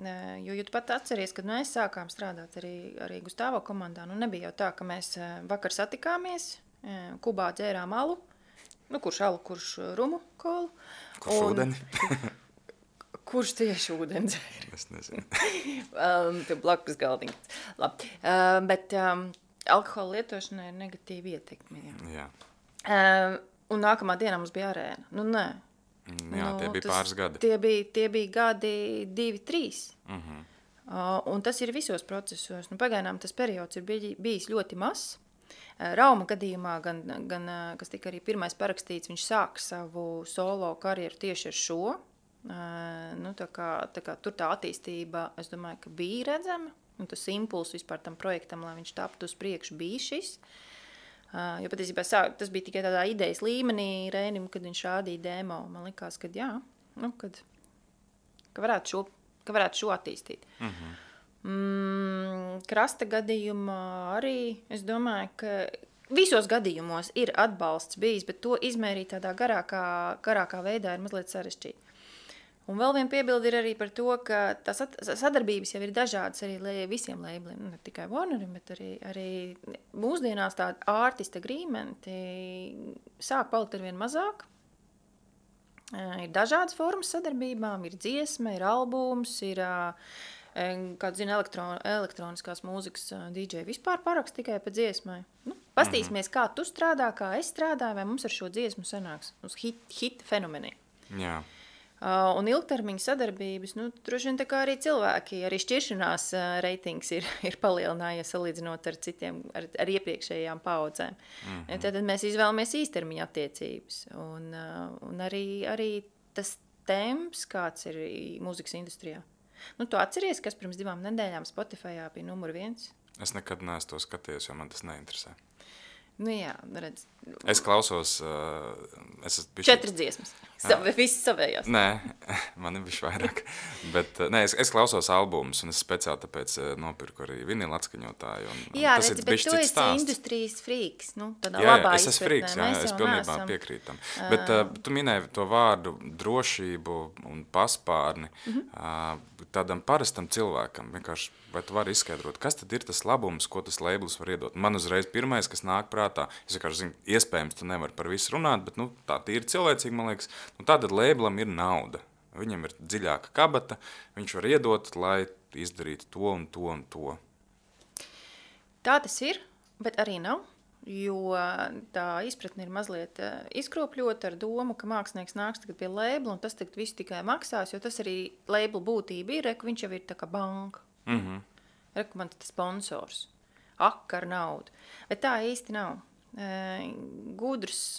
Jo tu pat atceries, kad mēs sākām strādāt arī Gustavo komandā, nebija jau tā, ka mēs vakar satikāmies, Kubā dzērām alu, kurš alu, kurš rumu kolu. Kurš ūdeni. Kurš tieši ūdens dzēr? Es nezinu. Tev blakus galdiņas. Labi. Bet alkohola lietošanai ir negatīva ietekme. Jā. Un nākamā dienā mums bija arēna. Nu, nē. Jā, tie bija pāris gadi. Tie bija gadi 2, 3. Un tas ir visos procesos. Nu, pagaidām tas periods ir bijis ļoti mazs. Rauma gadījumā, gan kas tika arī pirmais parakstīts, viņš sāk savu solo karjeru tieši ar šo. Nu, tā kā tur tā attīstība, es domāju, ka bija redzama. Un tas impulss vispār tam projektam, lai viņš taptu uz priekšu, bija šis. Jo patiesībā tas bija tikai tādā idejas līmenī Reinim, kad viņš rādīja demo. Man likās, ka jā, nu, ka varētu šo attīstīt. Krasta gadījumā arī, es domāju, ka visos gadījumos ir atbalsts bijis, bet to izmērīt tādā garākā veidā ir mazliet sarežģīti. Un vēl viena piebilde ir arī par to, ka tās sadarbības jau ir dažādas arī visiem labeliem, ne tikai Warnerim, bet arī mūsdienās tādi artist agreementi sāk palikt arvien mazāk. Ir dažādas formas sadarbībām, ir dziesma, ir albums, ir kāds zina elektroniskās mūzikas DJ vispār parakst tikai pa dziesmai. Nu, pastīsimies, kā tu strādā, kā es strādāju, vai mums ar šo dziesmu sanāks uz hit fenomeni. Jā. Un ilgtermiņa sadarbības, nu, droši vien tā kā arī cilvēki, arī šķiršanās reitings ir palielinājies salīdzinot ar citiem, ar iepriekšējām paudzēm. Tad mēs izvēlamies īstermiņa attiecības. Un arī tas temps, kāds ir mūzikas industrijā. Nu, tu atceries, kas pirms 2 nedēļām Spotifyā bija numur 1? Es nekad neesmu to skatījies, jo man tas neinteresē. Nu jā, redz. Es klausos... 4 dziesmas. Visas savējās. Nē, man ir bišķi vairāk. Bet, es klausos albumus, un es speciāli tāpēc nopirku arī vinila atskaņotāju. Jā, tas redzi, bet tu esi industrijas frīks. Nu, tādā labā es esmu frīks, es pilnībā piekrītam. Bet tu minēji to vārdu drošību un paspārni. Tādam parastam cilvēkam, vienkārši, vai tu vari izskaidrot, kas tad ir tas labums, ko tas labels var iedot? Man uzreiz pirmais, kas nāk prātā, es vienkārši zinu, iespējams, tu nevari par visu runāt, bet nu, tā ir cilvēcīgi, man liekas. Nu, tātad labelam ir nauda. Viņam ir dziļāka kabata, viņš var iedot, lai izdarītu to un to un to. Tā tas ir, bet arī nav, jo tā izpratne ir mazliet izkropļota ar domu, ka mākslinieks nāks tagad pie labela un tas tagad visu tikai maksās, jo tas arī labela būtība ir, ka viņš jau ir tā kā banka. Man tas sponsors. Ak ar naudu. Bet tā īsti nav. Gudrs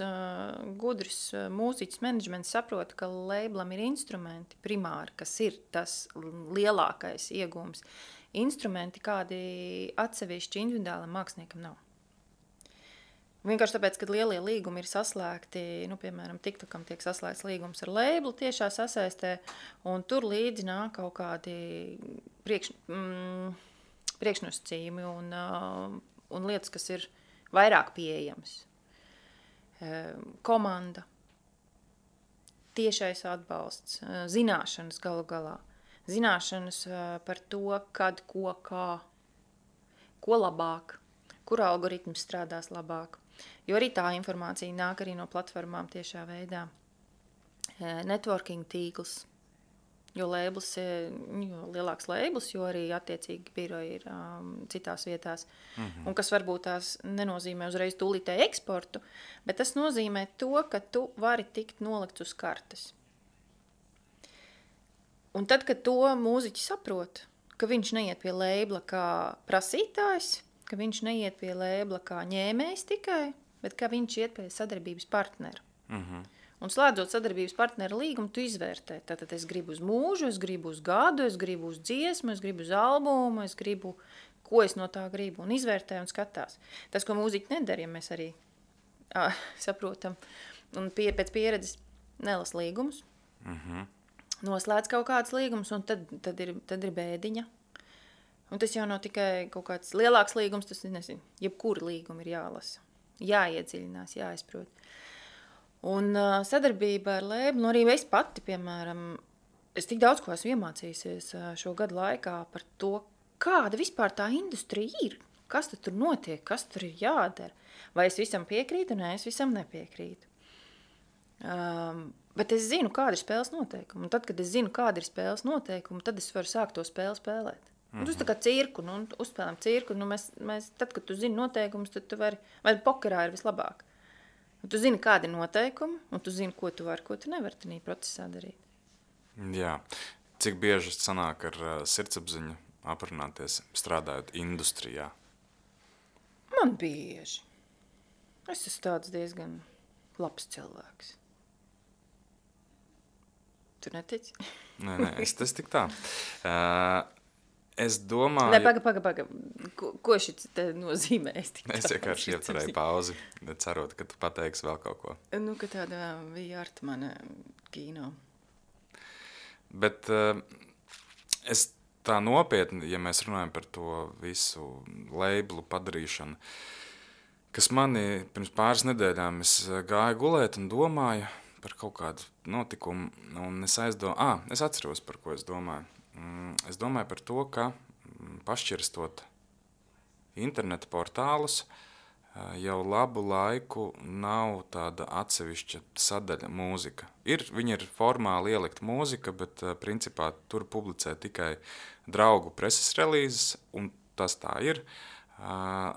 mūziķis menedžments saprota, ka labelam ir instrumenti primāri, kas ir tas lielākais iegūms. Instrumenti, kādi atsevišķi individuālam māksliniekam nav. Vienkārši tāpēc, kad lielie līgumi ir saslēgti, nu, piemēram, TikTokam tiek saslēgts līgums ar labelu tiešā sasaistē, un tur līdzi nāk kaut kādi priekšnosacījumi un lietas, kas ir vairāk pieejams. Komanda, tiešais atbalsts, zināšanas galu galā. Zināšanas par to, kad, ko, kā, ko labāk, kur algoritms strādās labāk. Jo arī tā informācija nāk arī no platformām tiešā veidā. Networking tīkls. Jo lielāks labels, jo arī attiecīgi biroji ir citās vietās. Un kas varbūt tās nenozīmē uzreiz tūlītēju eksportu, bet tas nozīmē to, ka tu vari tikt nolikts uz kartes. Un tad, kad to mūziķi saprot, ka viņš neiet pie labela kā prasītājs, ka viņš neiet pie labela kā ņēmējs tikai, bet ka viņš iet pie sadarbības partneru. Un slēdzot sadarbības partneru līgumu, tu izvērtē. Tātad es gribu uz mūžu, es gribu uz gadu, es gribu uz dziesmu, es gribu uz albumu, es gribu, ko es no tā gribu. Un izvērtē un skatās. Tas, ko mūziķi nedara, ja mēs arī saprotam. Un pēc pieredzes nelas līgumus. Noslēdz kaut kāds līgums, un tad ir bēdiņa. Un tas jau nav tikai kaut kāds lielāks līgums, tas nezinu, jebkura līguma ir jālasa. Jāiedziļinās, jāizprot. Un sadarbība ar labelu, arī es pati, piemēram, es tik daudz ko esmu iemācījusies šo gadu laikā par to, kāda vispār tā industrija ir, kas tur notiek, kas tur ir jādara. Vai es visam piekrītu, nē, es visam nepiekrītu. Bet es zinu, kāda ir spēles noteikuma. Un tad, kad es zinu, kāda ir spēles noteikuma, tad es varu sākt to spēli spēlēt. Un tas tā kā cirku, nu, uzspēlējam cirku. Nu, mēs, tad, kad tu zini noteikumus, tad tu vari, vai pokerā ir vislabāk. Un tu zini, kādi ir noteikumi, un tu zini, ko tu vari, ko tu nevari tajā procesā darīt. Jā. Cik bieži sanāk ar sirdsapziņu aprunāties, strādājot industrijā? Man bieži. Es esmu tāds diezgan labs cilvēks. Tu netici? Nē, es tik tā. Es domāju... Nē, paga. Ko šis te nozīmē? Es vienkārši ieturēju pauzi, cerot, ka tu pateiksi vēl kaut ko. Nu, ka tāda bija ar mana kino. Bet es tā nopietni, ja mēs runājam par to visu leiblu padarīšanu, kas mani pirms pāris nedēļām es gāju gulēt un domāju par kaut kādu notikumu, un es atceros, par ko es domāju. Es domāju par to, ka pašķirstot interneta portālus, jau labu laiku nav tāda atsevišķa sadaļa mūzika. Viņa ir formāli ielikt mūzika, bet principā tur publicē tikai draugu preses relīzes, un tas tā ir.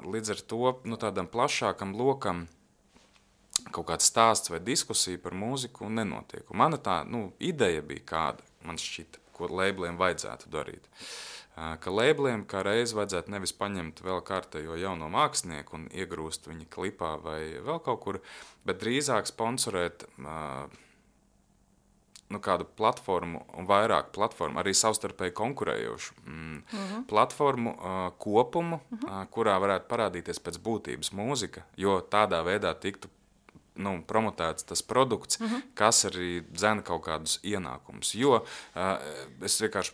Līdz ar to tādam plašākam lokam kaut kāds stāsts vai diskusija par mūziku nenotiek. Un mana tā ideja bija kāda, man šķita, ko labeliem vajadzētu darīt. Ka labeliem kā reiz vajadzētu nevis paņemt vēl kārtējo jauno mākslinieku un iegrūst viņa klipā vai vēl kaut kur, bet drīzāk sponsorēt kādu platformu un vairāk platformu, arī savstarpēji konkurējošu platformu kopumu, kurā varētu parādīties pēc būtības mūzika, jo tādā veidā tiktu promotēts tas produkts, kas arī dzena kaut kādus ienākumus. Jo es vienkārši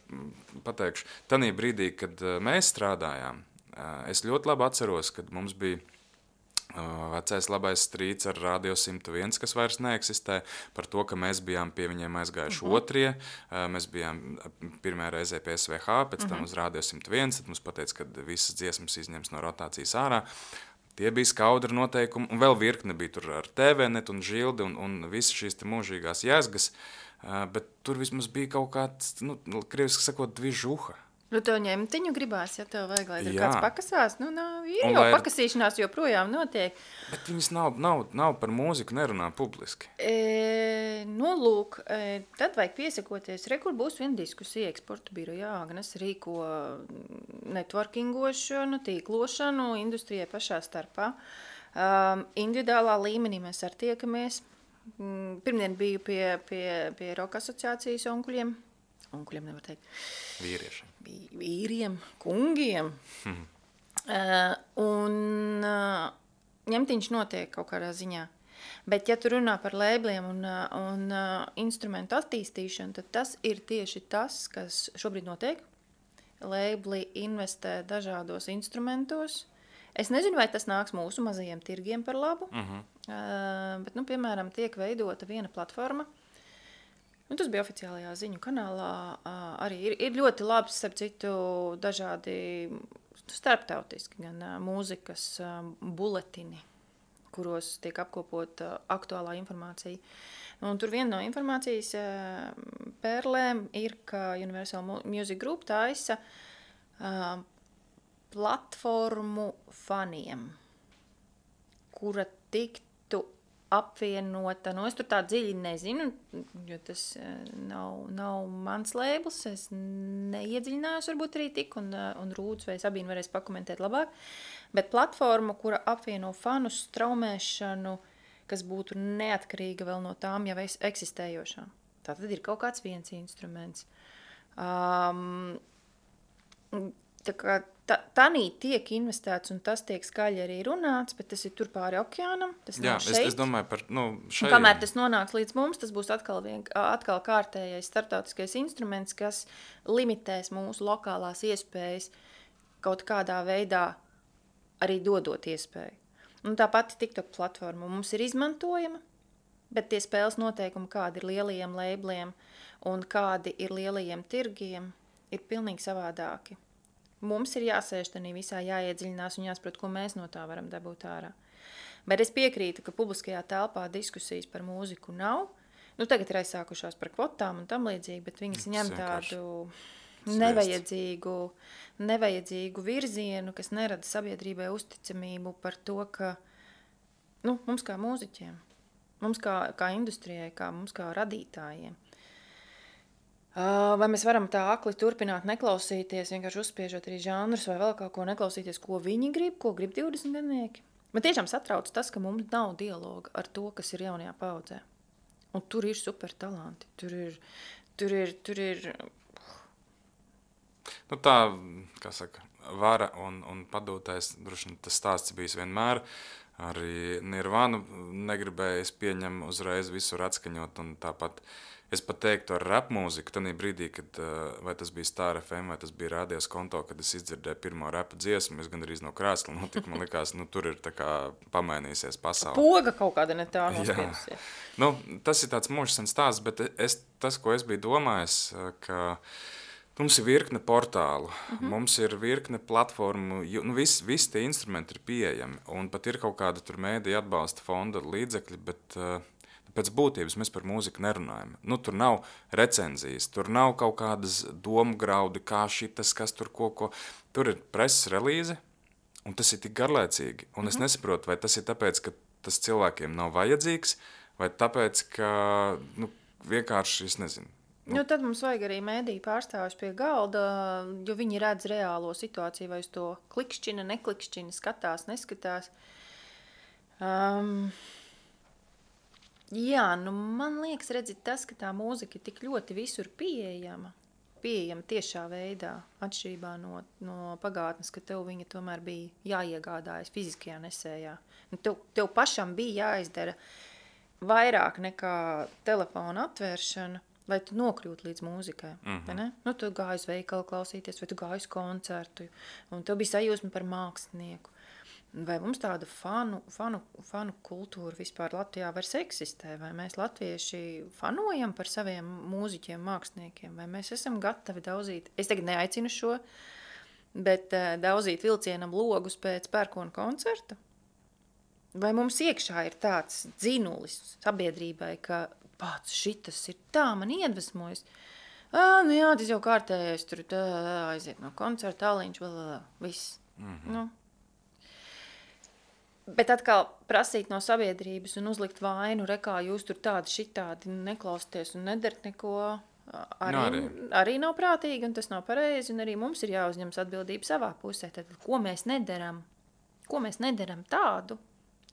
pateikšu, tanī brīdī, kad mēs strādājām, es ļoti labi atceros, kad mums bija vecais labais strīds ar Radio 101, kas vairs neeksistē, par to, ka mēs bijām pie viņiem aizgājuši otrie, mēs bijām pirmajā reizē pie SVH, pēc tam uz Radio 101, tad mums pateica, ka visas dziesmas izņems no rotācijas ārā. Tie bija skaudri noteikumi, un vēl virkne bija tur ar TVNet un Žildi un visas šīs te mūžīgās jēzgas, bet tur vismaz bija kaut kāds, krieviski sakot, dvižuha. Tev ņemtiņu gribās, ja tev vajag, lai tur kāds pakasās. Ir jau pakasīšanās joprojām notiek. Bet viņas nav par mūziku nerunā publiski. Lūk, tad vajag piesakoties. Kur būs viena diskusija eksporta birojā. Agnes rīko networkingošanu, tīklošanu industrijai pašā starpā. Individuālā līmenī mēs ar tiekamies. Pirmdien biju pie Roka asociācijas onkuļiem. Onkuļiem nevar teikt. Vīriešiem. Vīriem, kungiem. Ņemtiņš notiek kaut kādā ziņā. Bet, ja tu runā par lēbliem un instrumentu attīstīšanu, tad tas ir tieši tas, kas šobrīd notiek. Lēbli investē dažādos instrumentos. Es nezinu, vai tas nāks mūsu mazajiem tirgiem par labu, bet, piemēram, tiek veidota viena platforma. Tas bija oficiālajā ziņu kanālā. Arī ir ļoti labs, starp citu, dažādi starptautiski gan mūzikas buletini, kuros tiek apkopota aktuālā informācija. Un tur viena no informācijas pērlēm ir, ka Universal Music Group taisa platformu faniem, kura tiktu apvienota, es tur tā dziļi nezinu, jo tas nav mans lēbls, es neiedziļinājos varbūt arī tik, un Rūds vai Sabīna varēs pakomentēt labāk, bet platforma, kura apvieno fanu straumēšanu, kas būtu neatkarīga vēl no tām jau eksistējošām. Tātad ir kaut kāds viens instruments. Tā kā tanī tiek investēts un tas tiek skaļi arī runāts, bet tas ir tur pāri okeānam, tas nav šeit. Es domāju par, šeit. Kamēr tas nonāks līdz mums, tas būs atkal kārtējais starptautiskais instruments, kas limitēs mūsu lokālās iespējas kaut kādā veidā arī dodot iespēju. Un tā pati TikTok platforma mums ir izmantojama, bet tie spēles noteikumi, kādi ir lielajiem lēbliem un kādi ir lielajiem tirgiem, ir pilnīgi savādāki. Mums ir jāsēž tanī visā, jāiedziļinās un jāsaprot, ko mēs no tā varam dabūt ārā. Bet es piekrītu, ka publiskajā telpā diskusijas par mūziku nav. Nu, tagad ir aizsākušās par kvotām un tam līdzīgi, bet viņas ņem vienkārši tādu nevajadzīgu virzienu, kas nerada sabiedrībai uzticamību par to, ka mums kā mūziķiem, mums kā industrijai, mums kā radītājiem. Vai mēs varam tā akli turpināt neklausīties, vienkārši uzspiežot arī žanrus vai vēl kaut ko neklausīties, ko viņi grib, ko grib 20 gadnieki? Man tiešām satrauc tas, ka mums nav dialoga ar to, kas ir jaunajā paudzē. Un tur ir super talanti. Tur ir... Nu tā, kā saka, vara un padotais, droši tas stāsts bijis vienmēr. Arī Nirvānu negribēja, es pieņemu uzreiz visur atskaņot, un tāpat es pat teiktu ar rap mūziku, tanī brīdī, kad vai tas bija Star FM, vai tas bija Radios Konto, kad es izdzirdēju pirmo rapa dziesmu, es gandrīz no krēsla notika, man likās, tur ir tā kā pamainīsies pasaule. Poga kaut kāda ne tā nospiedusies. Tas ir tāds mūžsens stāsts, bet tas, ko es biju domājis, ka mums ir virkne portālu, mums ir virkne platformu, visi tie instrumenti ir pieejami, un pat ir kaut kāda tur mēdī atbalsta fonda līdzekļi, bet pēc būtības mēs par mūziku nerunājam. Tur nav recenzijas, tur nav kaut kādas domu graudi, kā šitas, kas tur ko. Tur ir preses relīze, un tas ir tik garlaicīgi. Un es nesaprotu, vai tas ir tāpēc, ka tas cilvēkiem nav vajadzīgs, vai tāpēc, ka vienkārši, es nezinu. Tad mums vajag arī mēdīju pārstāvis pie galda, jo viņi redz reālo situāciju, vai uz to klikšķina, neklikšķina, skatās, neskatās. Man liekas, tas, ka tā mūzika ir tik ļoti visur pieejama tiešā veidā, atšķirībā no pagātnes, ka tev viņa tomēr bija jāiegādājas fiziskajā nesējā. Tev pašam bija jāizdara vairāk nekā telefona atvēršana, lai tu nokļūtu līdz mūzikai. Tu gāji uz veikalu klausīties, vai tu gāji uz koncertu, un tev bija sajūsma par mākslinieku. Vai mums tāda fanu kultūra vispār Latvijā vairs eksistē? Vai mēs latvieši fanojam par saviem mūziķiem, māksliniekiem? Vai mēs esam gatavi daudzīt, es tagad neaicinu šo, bet daudzīt vilcienam logus pēc pērkona koncerta? Vai mums iekšā ir tāds dzinulis sabiedrībai, ka pats šitas ir tā, man iedvesmojas? Tas jau kārtējais, tur aiziet no koncerta, tāliņš, viss. Bet atkal prasīt no sabiedrības un uzlikt vainu, rekā jūs tur tādi šitādi neklausties un nedarat neko, arī nav prātīgi un tas nav pareizi, un arī mums ir jāuzņemas atbildība savā pusē. Tad, ko mēs nedaram tādu,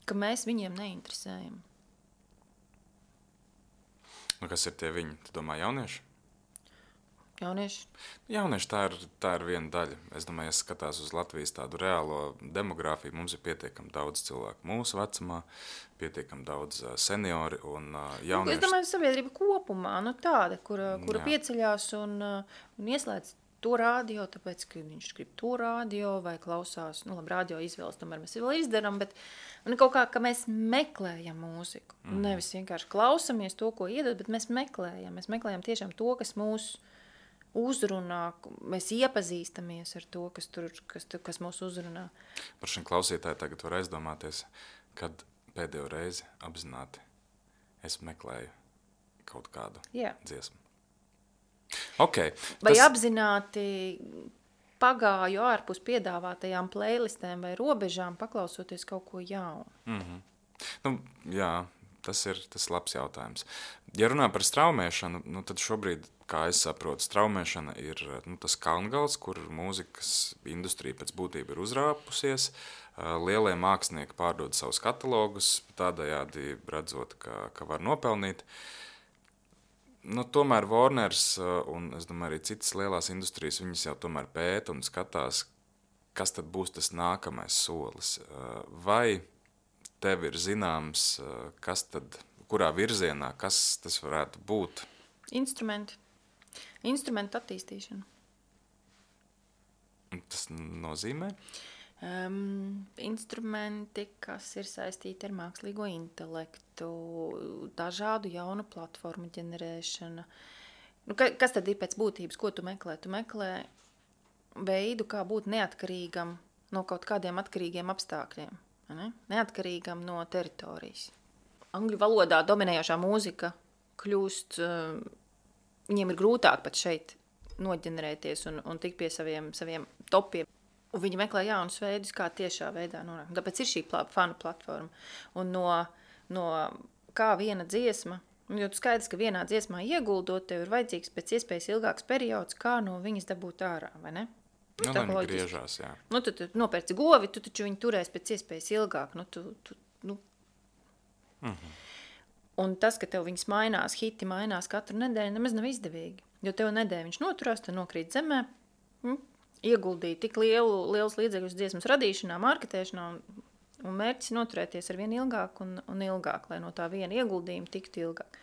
ka mēs viņiem neinteresējam? Kas ir tie viņi? Tu domā jaunieši? Jaunieši tā ir viena daļa. Es domāju, ja skatās uz Latvijas tādu reālo demogrāfiju, mums ir pietiekami daudz cilvēku mūsu vecumā, pietiekami daudz seniori un jaunieši. Es domāju, sabiedrība kopumā, tāda, kura pieceļās un ieslēdz to radio, tāpēc, ka viņš grib to radio vai klausās, radio izvēles, tomēr mēs vēl izdaram, bet kaut kā, ka mēs meklējam mūziku. Nevis vienkārši klausamies to, ko iedod, bet mēs meklējam tiešām to, kas mūs uzrunā, mēs iepazīstamies ar to, kas mūs uzrunā. Par šiem klausītāji tagad var aizdomāties, kad pēdējo reizi apzināti es meklēju kaut kādu dziesmu. Okay, vai apzināti pagāju ārpus piedāvātajām playlistēm vai robežām, paklausoties kaut ko jaunu? Jā, tas ir labs jautājums. Ja runā par straumēšanu, tad šobrīd, kā es saprotu, straumēšana ir tas kalngals, kur mūzikas industrija pēc būtība ir uzrāpusies. Lielie mākslinieki pārdod savus katalogus, tādējādi redzot, ka var nopelnīt. Tomēr Warners un, es domāju, arī citas lielās industrijas, viņas jau tomēr pēta un skatās, kas tad būs tas nākamais solis. Vai tev ir zināms, kurā virzienā, kas tas varētu būt? Instrumentu attīstīšana. Tas nozīmē? Instrumenti, kas ir saistīti ar mākslīgo intelektu, dažādu jaunu platformu ģenerēšana. Kas tad ir pēc būtības? Ko tu meklē? Tu meklē veidu, kā būt neatkarīgam no kaut kādiem atkarīgiem apstākļiem. Ne? Neatkarīgam no teritorijas. Angļu valodā dominējošā mūzika kļūst, viņiem ir grūtāk pat šeit noģenerēties un tikt pie saviem topiem. Un viņi meklē jaunus veidus, kā tiešā veidā nonākt. Tāpēc ir šī fanu platforma. Un no kā viena dziesma, jo tu skaidrs, ka vienā dziesmā ieguldot, tev ir vajadzīgs pēc iespējas ilgāks periods, kā no viņas dabūt ārā, vai ne? Nu, lai viņi griežās, jā. Nu, tu nopērci govi, tu taču viņu turēsi pēc iespējas ilgāk. Un tas, ka tev viņas mainās, hiti mainās katru nedēļu, nemaz nav izdevīgi. Jo tev nedēļu viņš noturās, tu nokrīt zemē, ieguldīja tik liels līdzekļus dziesmas radīšanā, marketēšanā, un mērķis noturēties ar vien ilgāk un ilgāk, lai no tā viena ieguldījuma tiktu ilgāk,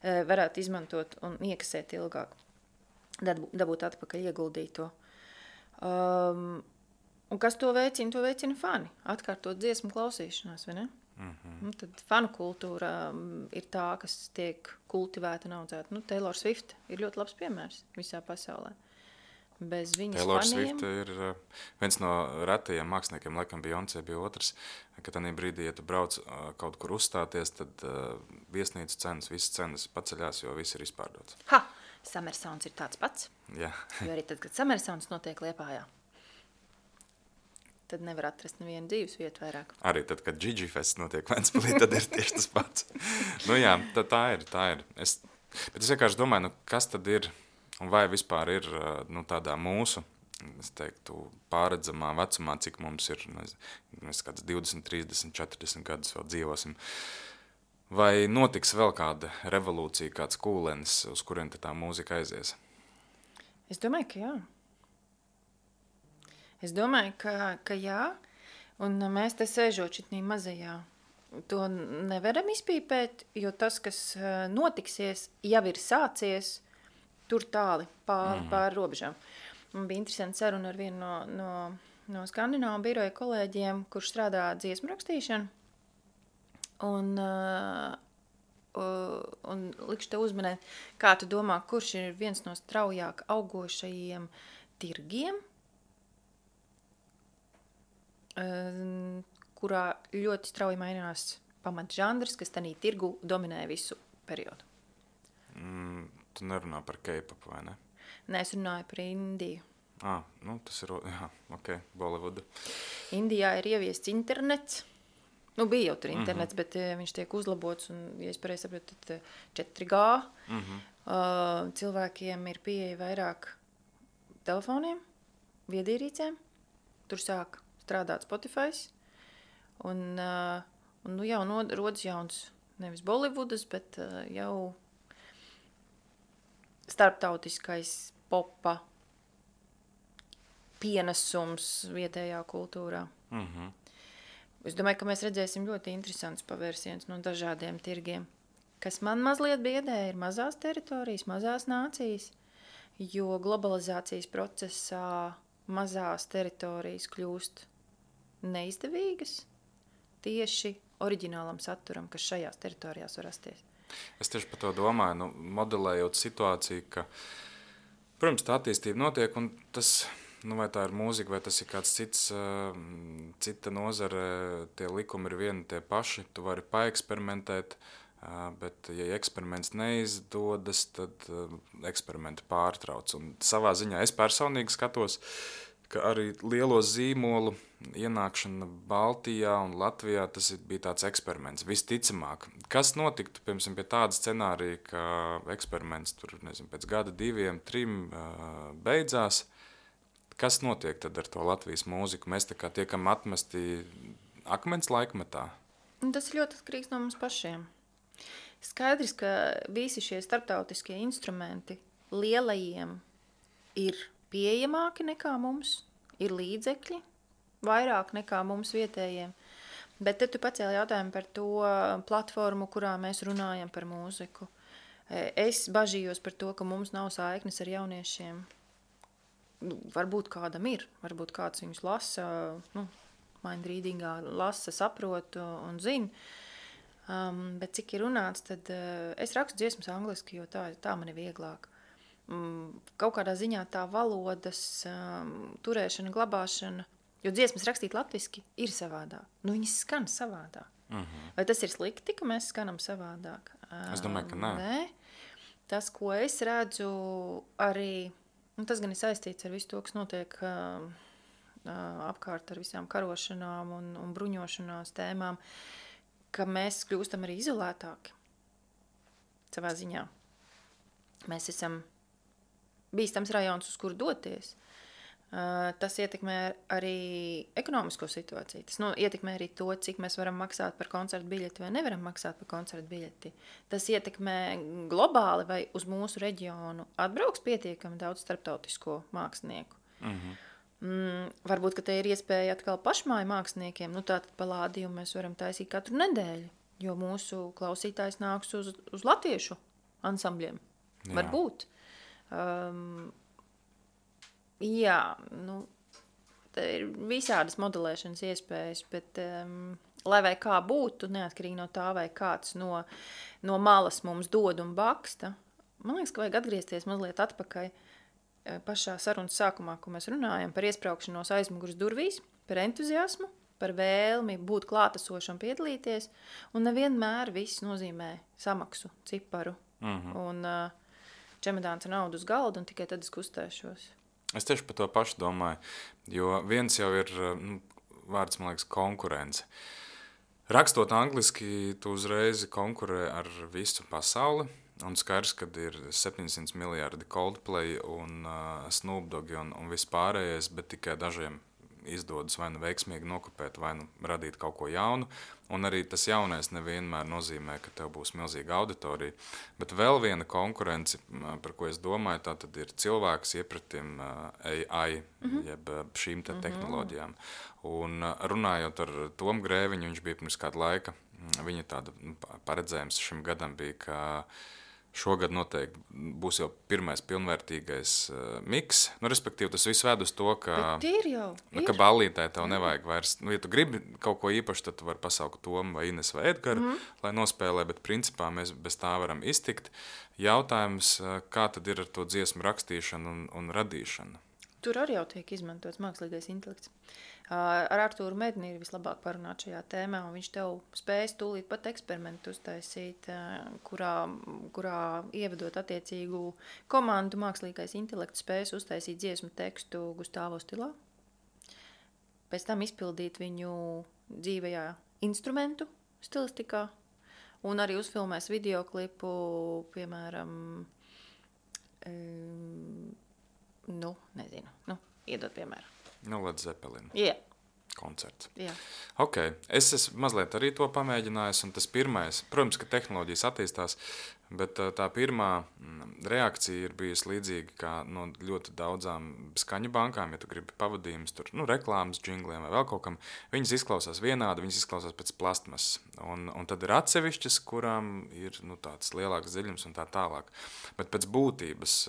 varētu izmantot un iekasēt ilgāk, dabūt atpakaļ ieguldīto. Un kas to veicina? To veicina fani, atkārtot dziesmu klausīšanās, vai ne? Un tad fanu kultūra ir tā, kas tiek kultivēta un audzēta. Taylor Swift ir ļoti labs piemērs visā pasaulē. Bez viņas Taylor faniem... Swift ir viens no retajiem māksliniekiem, laikam Beyoncé bija otrs, ka tādā brīdī, ja tu brauc kaut kur uzstāties, tad viesnīcu cenas, visas cenas paceļās, jo viss ir izpārdots. Ha! Summer Sounds ir tāds pats. Jā. Jo arī tad, kad Summer Sounds notiek Liepājā, tad nevar atrast nevienu dzīves vietu vairāk. Arī tad, kad Gigi Fest notiek Ventspilī, tad ir tieši tas pats. Jā, tā ir. Bet es vienkārši domāju, kas tad ir, un vai vispār ir tādā mūsu, es teiktu, pārredzamā vecumā, cik mums ir, mēs kāds 20, 30, 40 gadus vēl dzīvosim, vai notiks vēl kāda revolūcija, kāds kūlenis, uz kurien tā mūzika aizies? Es domāju, ka jā. Es domāju, ka jā, un mēs te sēžot šitnī mazajā, to nevaram izpīpēt, jo tas, kas notiksies, jau ir sācies tur tāli pār robežām. Man bija interesanti saruna ar vienu no Skandināvu biroja kolēģiem, kurš strādā dziesmu rakstīšanu, un likšu te uzmanēt, kā tu domā, kurš ir viens no straujāk augošajiem tirgiem, kurā ļoti strauji mainās pamatžanrs, kas tanī tirgu dominē visu periodu. Tu nerunā par K-popu, vai ne? Nē, es runāju par Indiju. Tas ir, Bollywood. Indijā ir ieviests internets. Bija jau tur internets, bet viņš tiek uzlabots, un, ja es pareizi saprotu, tad 4G. Cilvēkiem ir pieeja vairāk telefoniem, viedierīcēm. Tur sāk strādāt Spotify, un jau rodas jauns, nevis Bollywoodas, bet jau starptautiskais popa pienesums vietējā kultūrā. Es domāju, ka mēs redzēsim ļoti interesants pavērsiens no dažādiem tirgiem. Kas man mazliet biedē, ir mazās teritorijas, mazās nācijas, jo globalizācijas procesā mazās teritorijas kļūst neizdevīgas tieši oriģinālam saturam, kas šajās teritorijās var rasties. Es tieši par to domāju, modelējot situāciju, ka, protams, tā attīstība notiek, un tas, vai tā ir mūzika, vai tas ir kāds cita nozare, tie likumi ir vieni tie paši, tu vari paeksperimentēt, bet, ja eksperiments neizdodas, tad eksperimenti pārtrauc. Un savā ziņā es personīgi skatos, ka arī lielo zīmolu ienākšana Baltijā un Latvijā, tas bija tāds eksperiments, visticamāk. Kas notiktu, piemēram, pie tāda scenārija, ka eksperiments tur, pēc gada, 2, 3 beidzās? Kas notiek tad ar to Latvijas mūziku? Mēs tā kā tiekam atmesti akmens laikmetā? Tas ir ļoti atkarīgs no mums pašiem. Skaidrs, ka visi šie starptautiskie instrumenti lielajiem ir pieejamāki nekā mums, ir līdzekļi, vairāk nekā mums vietējiem. Bet te tu pacēli jautājumu par to platformu, kurā mēs runājam par mūziku. Es bažījos par to, ka mums nav saiknes ar jauniešiem. Varbūt kādam ir, varbūt kāds viņus lasa, mindreadingā lasa, saprot un zina. Bet cik ir runāts, tad es rakstu dziesmas angliski, jo tā man ir vieglāk. Kaut kādā ziņā tā valodas turēšana, glabāšana, jo dziesmas rakstīt latviski ir savādāk. Viņas skan savādāk. Vai tas ir slikti, ka mēs skanam savādāk? Es domāju, ka nē. Tas, ko es redzu, arī tas gan ir saistīts ar visu to, kas notiek apkārt ar visām karošanām un bruņošanās tēmām, ka mēs kļūstam arī izolētāki savā ziņā. Mēs esam bīstams rajons, uz kuru doties. Tas ietekmē arī ekonomisko situāciju. Tas ietekmē arī to, cik mēs varam maksāt par koncertu biļeti vai nevaram maksāt par koncertu biļeti. Tas ietekmē globāli, vai uz mūsu reģionu atbrauks pietiekami daudz starptautisko mākslinieku. Varbūt, ka te ir iespēja atkal pašmāju māksliniekiem. Tātad palādījumu mēs varam taisīt katru nedēļu, jo mūsu klausītājs nāks uz latviešu ansambļiem. Jā. Varbūt. Jā, te ir visādas modelēšanas iespējas, bet lai vai kā būtu, neatkarīgi no tā, vai kāds no malas mums dod un baksta, man liekas, ka vajag atgriezties mazliet atpakaļ pašā sarunas sākumā, ko mēs runājam par iespraukšanos aizmuguras durvīs, par entuziasmu, par vēlmi būt klātesošam, piedalīties, un nevienmēr viss nozīmē samaksu, ciparu un čemodāns ar naudu uz galda, un tikai tad es kustēšos. Es tieši par to pašu domāju, jo viens jau ir vārds, man liekas, konkurence. Rakstot angliski, tu uzreiz konkurē ar visu pasauli, un skaidrs, kad ir 700 miljardi Coldplay un Snoop Dogg un viss pārējais, bet tikai dažiem izdodas vai nu veiksmīgi nokopēt, vai nu radīt kaut ko jaunu, un arī tas jaunais nevienmēr nozīmē, ka tev būs milzīga auditorija. Bet vēl viena konkurence, par ko es domāju, tā tad ir cilvēks iepratim AI, jeb šīm te tehnoloģijām. Un runājot ar Tomu Grēviņu, viņš bija pirms kāda laika, viņa tāda paredzējums šim gadam bija, ka šogad noteikti būs jau pirmais pilnvērtīgais miks. Respektīvi, tas viss ved uz to, ka ballītē tev nevajag vairs. Ja tu gribi kaut ko īpaši, tad tu vari pasaukt Tomu vai Ines vai Edgaru, lai nospēlē, bet principā mēs bez tā varam iztikt. Jautājums, kā tad ir ar to dziesmu rakstīšanu un radīšanu? Tur arī jau tiek izmantots mākslīgais intelekts. Ar Artūru Medni ir vislabāk parunāt šajā tēmā, un viņš tev spējas tūlīt pat eksperimentu uztaisīt, kurā ievedot attiecīgu komandu, mākslīgais intelekts spējas uztaisīt dziesmu tekstu Gustavo stilā, pēc tam izpildīt viņu dzīvajā instrumentu stilistikā, un arī uzfilmēs videoklipu, piemēram, iedot piemēru. Led Zeppelin. Jā. Koncerts. Jā. Ok, es esmu mazliet arī to pamēģinājis, un tas pirmais, protams, ka tehnoloģijas attīstās, bet tā pirmā reakcija ir bijusi līdzīga kā no ļoti daudzām skaņu bankām, ja tu gribi pavadījumus, tur, reklāmas, džingliem vai vēl kaut kam, viņas izklausās vienādi, viņas izklausās pēc plastmasas, un tad ir atsevišķas, kurām ir, tāds lielāks dziļums un tā tālāk, bet pēc būtības,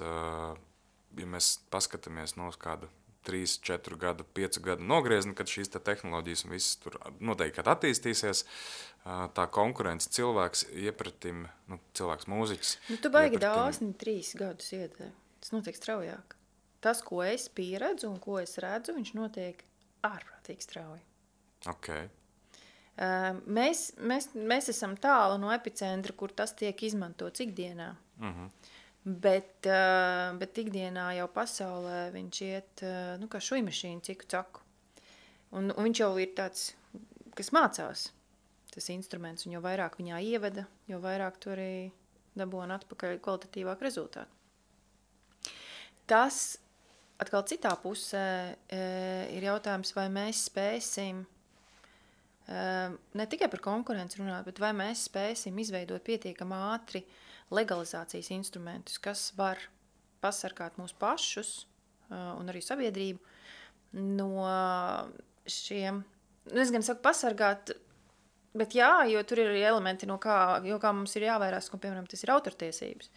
ja mēs paskatāmies uz kādu 3, 4 gadu, 5 gadu nogriezni, kad šīs tehnoloģijas un viss tur noteikti attīstīsies, tā konkurence cilvēks iepratim, cilvēks mūziķis. Tu baigi daudz, 3 gadus iedē. Tas notiek straujāk. Tas, ko es pieredzu un ko es redzu, viņš notiek ārprātīgi strauji. Ok. Mēs esam tālu no epicentra, kur tas tiek izmantots ikdienā. Bet ikdienā jau pasaulē viņš iet, kā šujmašīna ciku caku. Un viņš jau ir tāds, kas mācās tas instruments, un jo vairāk viņā ieveda, jo vairāk tu arī dabūna atpakaļ kvalitatīvāk rezultātu. Tas atkal citā pusē ir jautājums, vai mēs spēsim ne tikai par konkurenci runāt, bet vai mēs spēsim izveidot pietiekami ātri legalizācijas instrumentus, kas var pasargāt mūs pašus un arī sabiedrību no šiem, es gan saku pasargāt, bet jā, jo tur ir arī elementi, no kā mums ir jāvairās, piemēram, tas ir autortiesības.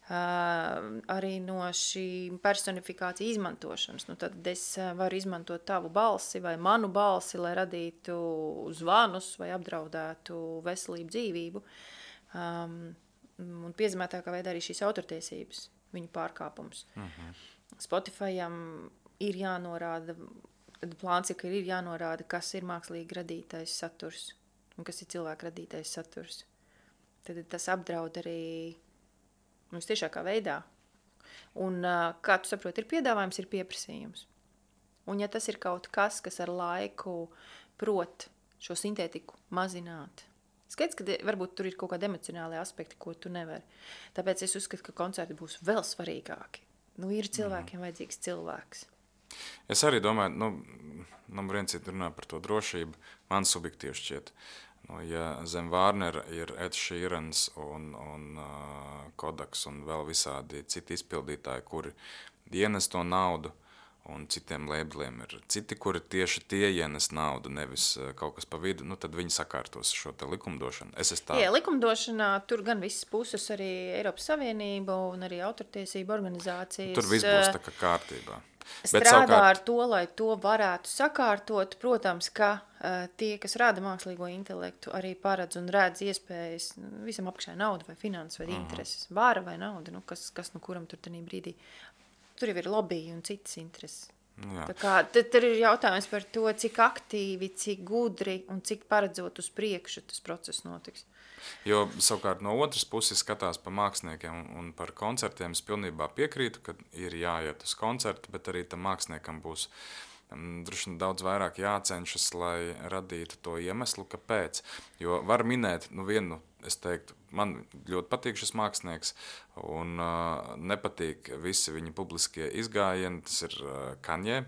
Arī no šī personifikācija izmantošanas. Tad es varu izmantot tavu balsi vai manu balsi, lai radītu zvanus vai apdraudētu veselību, dzīvību. Un piezīmētākā veidā arī šīs autortiesības, viņu pārkāpums. Spotifyam ir jānorāda, plāns ir, ka ir jānorāda, kas ir mākslīgi radītais saturs un kas ir cilvēka radītais saturs. Tad tas apdraud arī Vistiešākā veidā. Un, kā tu saproti, ir piedāvājums, ir pieprasījums. Un ja tas ir kaut kas, kas ar laiku prot šo sintētiku mazināt, skaidrs, ka varbūt tur ir kaut kādi emocionāli aspekti, ko tu nevari. Tāpēc es uzskatu, ka koncerti būs vēl svarīgāki. Ir cilvēkiem vajadzīgs cilvēks. Es arī domāju, numur viens ir runā par to drošību. Man subjektīvi šķiet, ja zem Vārnera ir Ed Sheerans un Kodaks un vēl visādi citi izpildītāji, kuri ienes to naudu, un citiem labeliem ir citi, kuri tieši tie ienes naudu, nevis kaut kas pa vidu, tad viņi sakārtos šo te likumdošanu. Jā, likumdošanā tur gan visas puses, arī Eiropas Savienība un arī autortiesība organizācijas. Tur viss būs tā kā kārtībā. Strādā ar to, lai to varētu sakārtot. Protams, ka tie, kas rada mākslīgo intelektu, arī paredz un redz iespējas visam apakšai nauda vai finanses vai intereses. Vāra vai nauda, kas kuram tur tenī brīdī. Tur jau ir lobby un citas intereses. Tā kā tad ir jautājums par to, cik aktīvi, cik gudri un cik paredzot uz priekšu tas process notiks. Jo savukārt no otras puses skatās pa māksliniekiem un par koncertiem, es pilnībā piekrītu, ka ir jāiet uz koncertu, bet arī tam māksliniekam būs droši vien daudz vairāk jācenšas, lai radītu to iemeslu, kāpēc. Jo var minēt vienu, es teiktu, man ļoti patīk šis mākslinieks un nepatīk visi viņa publiskie izgājieni, tas ir Kanye,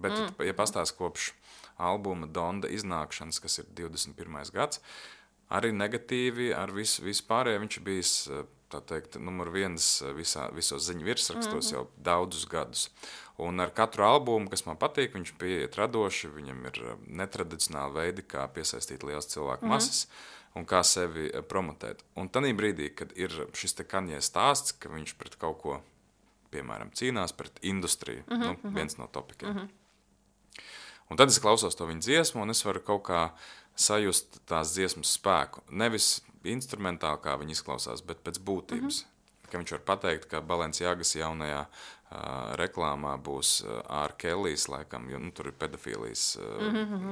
bet ja pastāst kopš albuma Donda iznākšanas, kas ir 21. gads, arī negatīvi ar visu pārējo viņš bijis, tā teikt, numur viens visos ziņu virsrakstos jau daudzus gadus. Un ar katru albumu, kas man patīk, viņš pieiet radoši, viņam ir netradicionāli veidi, kā piesaistīt liels cilvēku masas un kā sevi promotēt. Un tanī brīdī, kad ir šis te Kanye stāsts, ka viņš pret kaut ko, piemēram, cīnās pret industriju, viens no topikiem. Un tad es klausos to viņa dziesmu, un es varu kaut kā sajust tās dziesmas spēku. Nevis instrumentāli, kā viņi izklausās, bet pēc būtības. Ka viņš var pateikt, ka Balenciagas jaunajā reklāmā būs R. Kellijs, laikam, jo tur ir pedofīlijas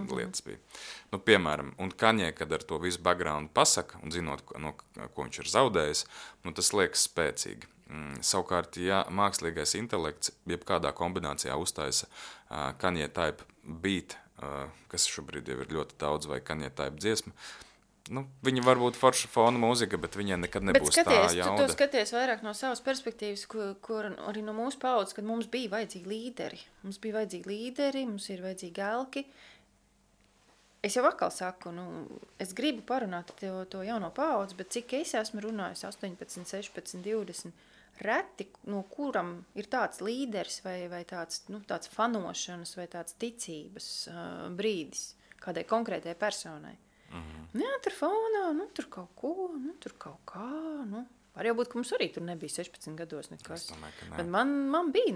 lietas bija. Piemēram, un Kanye, kad ar to visu background pasaka, un zinot, ko viņš ir zaudējis, tas liekas spēcīgi. Savukārt, ja mākslīgais intelekts jebkādā kombinācijā uztaisa Kanye type beat, kas šobrīd jau ir ļoti daudz, vai Kanye type dziesma, viņa var būt forša fona mūzika, bet viņai nekad nebūs tā jauda. Tu to skaties vairāk no savas perspektīvas, kur arī no mūsu paudzes, kad mums bija vajadzīgi līderi. Mums ir vajadzīgi elki. Es jau atkal saku, es gribu parunāt to jauno paudzi, bet cik es esmu runājis 18, 16, 20, reti, no kuram ir tāds līderis vai tāds fanošanas vai tāds ticības brīdis kādai konkrētai personai. Jā, tur fonā, tur kaut ko, tur kaut kā, var jau būt, ka mums arī tur nebija 16 gados nekas. Es domāju, ka ne. Bet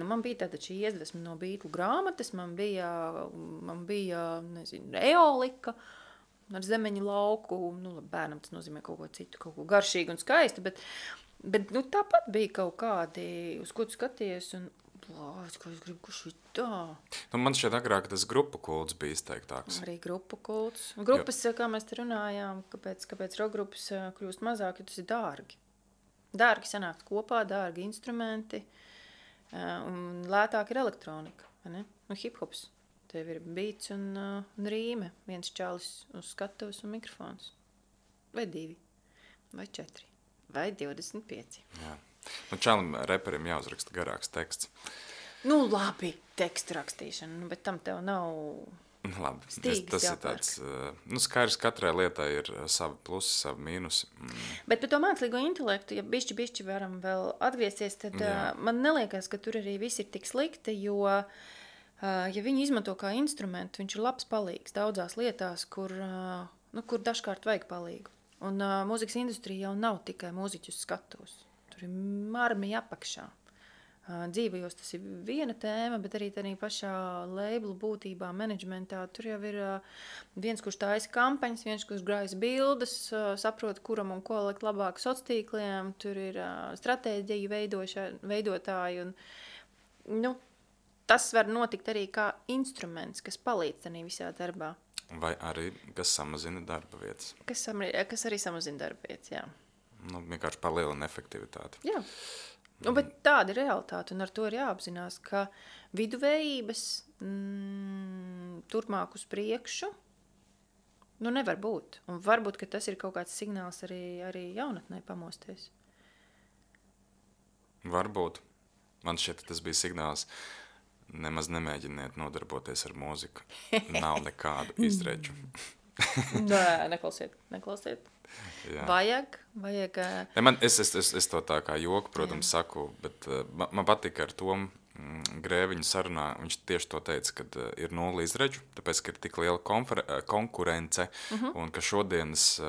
man bija tātad šī iedvesma no Beatlu grāmatas, man bija, nezinu, eolika ar zemeņu lauku, bērnam tas nozīmē kaut ko citu, kaut ko garšīgu un skaistu, bet tāpat bija kaut kādi, uz ko tu skaties, un es gribu, ka šī tā. Man šķiet agrāk tas grupu kults bija izteiktāks. Arī grupu kults. Grupas, kā mēs te runājām, kāpēc rokgrupas kļūst mazāk, jo tas ir dārgi. Dārgi sanākt kopā, dārgi instrumenti, un lētāk ir elektronika, vai ne? Hip-hops. Tev ir beats un rīme, viens čalis uz skatuves un mikrofons. Vai 2, vai 4, vai 25. Jā. Čalim reperim jāuzraksta garāks teksts. Labi, tekstu rakstīšana, bet tam tev nav labi, stīgas tas ir tāds, skaidrs, katrai lietai ir savi plusi, savi mīnusi. Bet par to mākslīgo intelektu, ja bišķi varam vēl atgriezties, tad man neliekas, ka tur arī viss ir tik slikti, jo, ja viņi izmanto kā instrumentu, viņš ir labs palīgs daudzās lietās, kur dažkārt vajag palīgu. Un mūzikas industrija jau nav tikai mūziķus skatos. Tur ir armija apakšā. Dzīvajos tas ir viena tēma, bet arī tādā pašā labelu būtībā, menedžmentā. Tur jau ir viens, kurš taisa kampaņas, viens, kurš grājas bildes, saprot, kuram un ko likt labāk sociāliem. Tur ir stratēģiju veidotāji. Un, tas var notikt arī kā instruments, kas palīdz tādā visā darbā. Vai arī, kas samazina darba vietas. Kas arī samazina darba vietas, jā. Nu, vienkārši palielina efektivitāti. Jā. Nu, bet tāda ir realitāte, un ar to ir jāapzinās, ka viduvējības turpmāk uz priekšu nevar būt. Un varbūt, ka tas ir kaut kāds signāls arī jaunatnē pamosties. Varbūt. Man šķiet, tas bija signāls. Nemaz nemēģiniet nodarboties ar mūziku. Nav nekādu izredžu. Nē, neklausiet. Jā. Vajag. Es to tā kā joku, protams, saku, bet man patika ar Tomu Grēviņu sarunā. Viņš tieši to teica, ka ir 0 izredžu, tāpēc, ka ir tik liela konkurence, un ka šodienas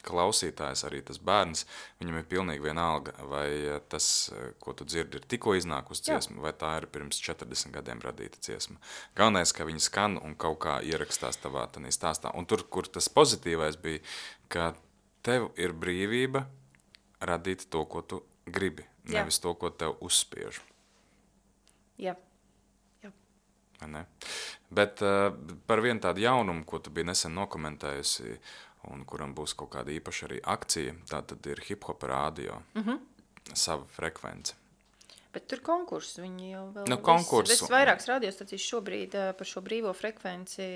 klausītājs, arī tas bērns, viņam ir pilnīgi vienalga, vai tas, ko tu dzirdi, ir tikko iznākusi dziesma, vai tā ir pirms 40 gadiem radīta dziesma. Galvenais, ka viņi skan un kaut kā ierakstās tavā tanī stāstā. Un tur, kur tas pozitīvais bija, ka tev ir brīvība radīt to, ko tu gribi, nevis to, ko tev uzspiež. Jā. Ne? Bet par vienu tādu jaunumu, ko tu biji nesen nokomentējusi, un kuram būs kaut kāda īpaša arī akcija, tā tad ir hip-hop radio, sava frekvence. Bet tur konkurss, viņi jau vēl vairākas radiostacijas šobrīd par šo brīvo frekvenci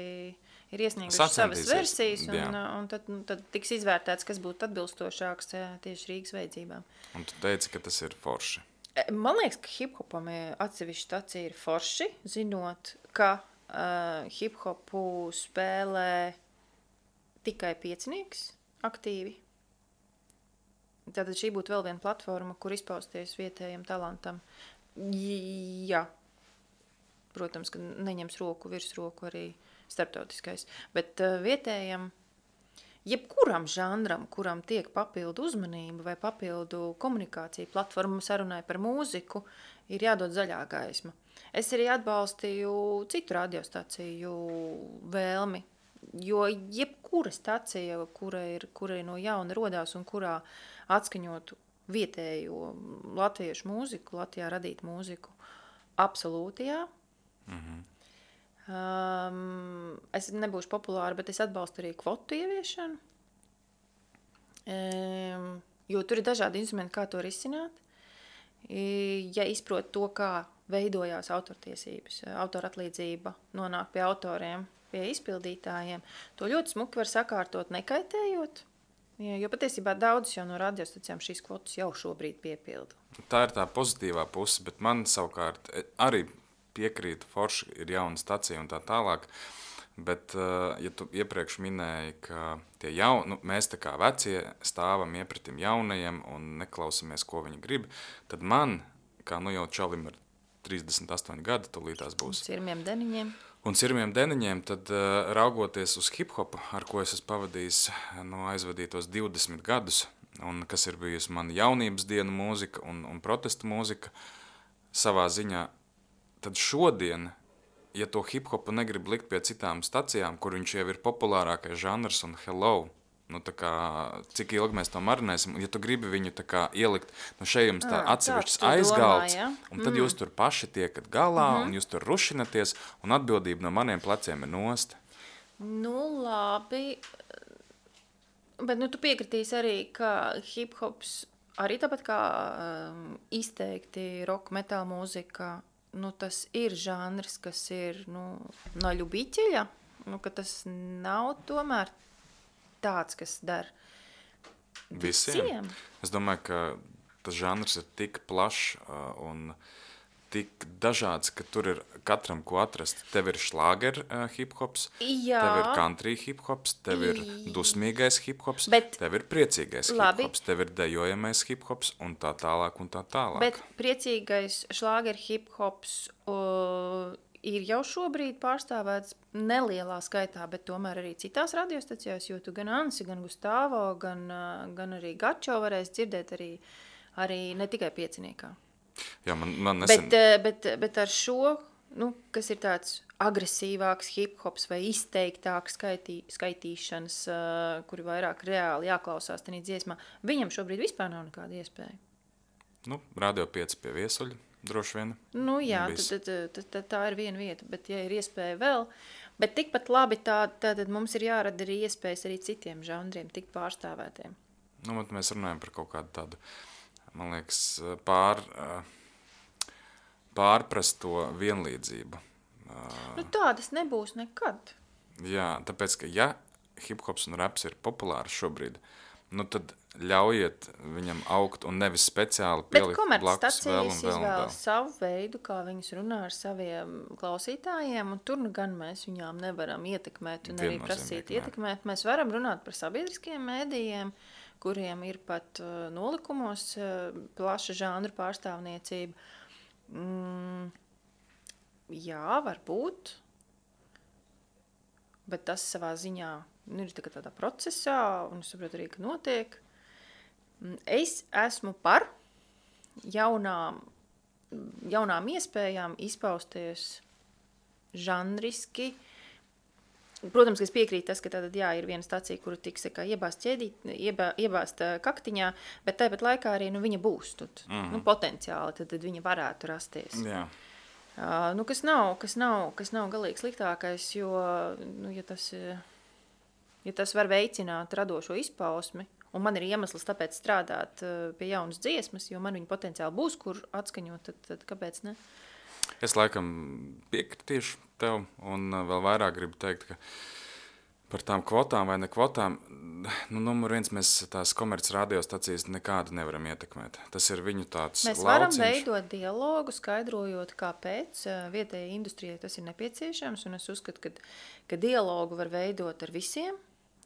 ir iesnieguši savas versijas, un tad tiks izvērtēts, kas būtu atbilstošāks tieši Rīgas vajadzībām. Un tu teici, ka tas ir forši. Man liekas, ka hip-hopam atsevišķa stacija ir forši, zinot, ka hip-hopu spēlē tikai piecinieks aktīvi. Tātad šī būtu vēl viena platforma, kur izpausties vietējiem talantam. Jā, protams, ka neņems virsroku arī starptautiskais, bet vietējiem, jebkuram žanram, kuram tiek papildu uzmanība vai papildu komunikācija platforma sarunai par mūziku, ir jādod zaļā gaisma. Es arī atbalstīju citu radiostaciju vēlmi, jo jebkura stacija, kura ir no jauna rodās un kurā atskaņotu vietējo latviešu mūziku, Latvijā radītu mūziku, absolūti jā. Es nebūšu populāra, bet es atbalstu arī kvotu ieviešanu, jo tur ir dažādi instrumenti, kā to risināt. Ja izprot to, kā veidojās autortiesības, autoratlīdzība nonāk pie autoriem, pie izpildītājiem, to ļoti smuki var sakārtot nekaitējot, jo patiesībā daudzas jau no radiostacijām šīs kvotas jau šobrīd piepilda. Tā ir tā pozitīvā puse, bet man savukārt arī piekrīt, forši ir jauna stacija un tā tālāk, bet, ja tu iepriekš minēji, ka mēs tā kā vecie stāvam iepratim jaunajiem un neklausamies, ko viņi grib, tad man, kā jau čalim ar 38 gadi, tūlītās būs. Un sirmiem deniņiem, tad raugoties uz hip-hopu, ar ko es esmu pavadījis aizvadītos 20 gadus, un kas ir bijusi man jaunības dienu mūzika un protesta mūzika savā ziņā, tad šodien, ja to hip-hopu negrib likt pie citām stacijām, kur viņš jau ir populārākais žanrs un hello, tā kā, cik ilgi mēs to marinēsim, ja tu gribi viņu tā kā ielikt, šeit jums tā atsevišķs aizgalds, un tad jūs tur paši tiekat galā, un jūs tur rušinaties, un atbildība no maniem pleciem ir nost. Labi, bet tu piekritīsi arī, ka hip-hops arī tāpat kā izteikti rock metal mūzika, tas ir žanrs, kas ir no ļubiķeļa, ka tas nav tomēr tāds, kas dar visiem. Es domāju, ka tas žanrs ir tik plašs un tik dažāds, ka tur ir katram ko atrast. Tev ir šlāger hip-hops, tev ir country hip-hops, tev ir dusmīgais hip-hops, tev ir priecīgais hip-hops, tev ir dejojamais hip-hops un tā tālāk un tā tālāk. Bet priecīgais šlāger hip-hops ir jau šobrīd pārstāvēts nelielā skaitā, bet tomēr arī citās radiostacijās, jo tu gan Ansi, gan Gustavo, gan arī Gačo varēs dzirdēt arī ne tikai pieciniekā. Jā, man nesen... Bet ar šo, kas ir tāds agresīvāks hip-hops vai izteiktāks skaitīšanas, kuri vairāk reāli jāklausās tenī dziesmā, viņam šobrīd vispār nav nekāda iespēja. Radio 5 pie Viesuļa. Droši vien. Jā, tad tā ir viena vieta, bet ja ir iespēja vēl, bet tikpat labi tad mums ir jārada arī iespējas arī citiem žanriem tikt pārstāvētiem. Nu, mēs runājam par kaut kādu tādu, man liekas, pārprasto vienlīdzību. Nu, tādas nebūs nekad. Jā, tāpēc, ka ja hip-hops un raps ir populārs šobrīd, nu tad ļaujiet viņam augt un nevis speciāli pielikt blakus vēl un vēl. Bet komercstacijas izvēlas savu veidu, kā viņas runā ar saviem klausītājiem, un tur nu gan mēs viņām nevaram ietekmēt un arī prasīt ietekmēt. Mēs varam runāt par sabiedriskiem mēdījiem, kuriem ir pat nolikumos plaša žanru pārstāvniecība. Jā, varbūt, bet tas savā ziņā ir tādā procesā, un es saprotu arī, ka notiek. Es esmu par jaunām iespējām izpausties žanriski. Protams, ka es piekrītu tas, ka tātad, jā, ir viena stacija, kuru tiks iebāzt kaktiņā, bet tāpat laikā arī viņa būs tad, potenciāli, tad viņa varētu rasties. Jā. Kas nav galīgi sliktākais, jo ja tas var veicināt radošo izpausmi, un man ir iemesls tāpēc strādāt pie jaunas dziesmas, jo man viņa potenciāli būs, kur atskaņot, tad kāpēc ne? Es laikam piekritīšu tev, un vēl vairāk gribu teikt, ka par tām kvotām vai ne kvotām, numur viens mēs tās komerc radiostacijas nekādu nevaram ietekmēt. Tas ir viņu tāds lauciņš. Mēs varam veidot dialogu, skaidrojot, kāpēc vietējai industrijai tas ir nepieciešams, un es uzskatu, ka dialogu var veidot ar visiem,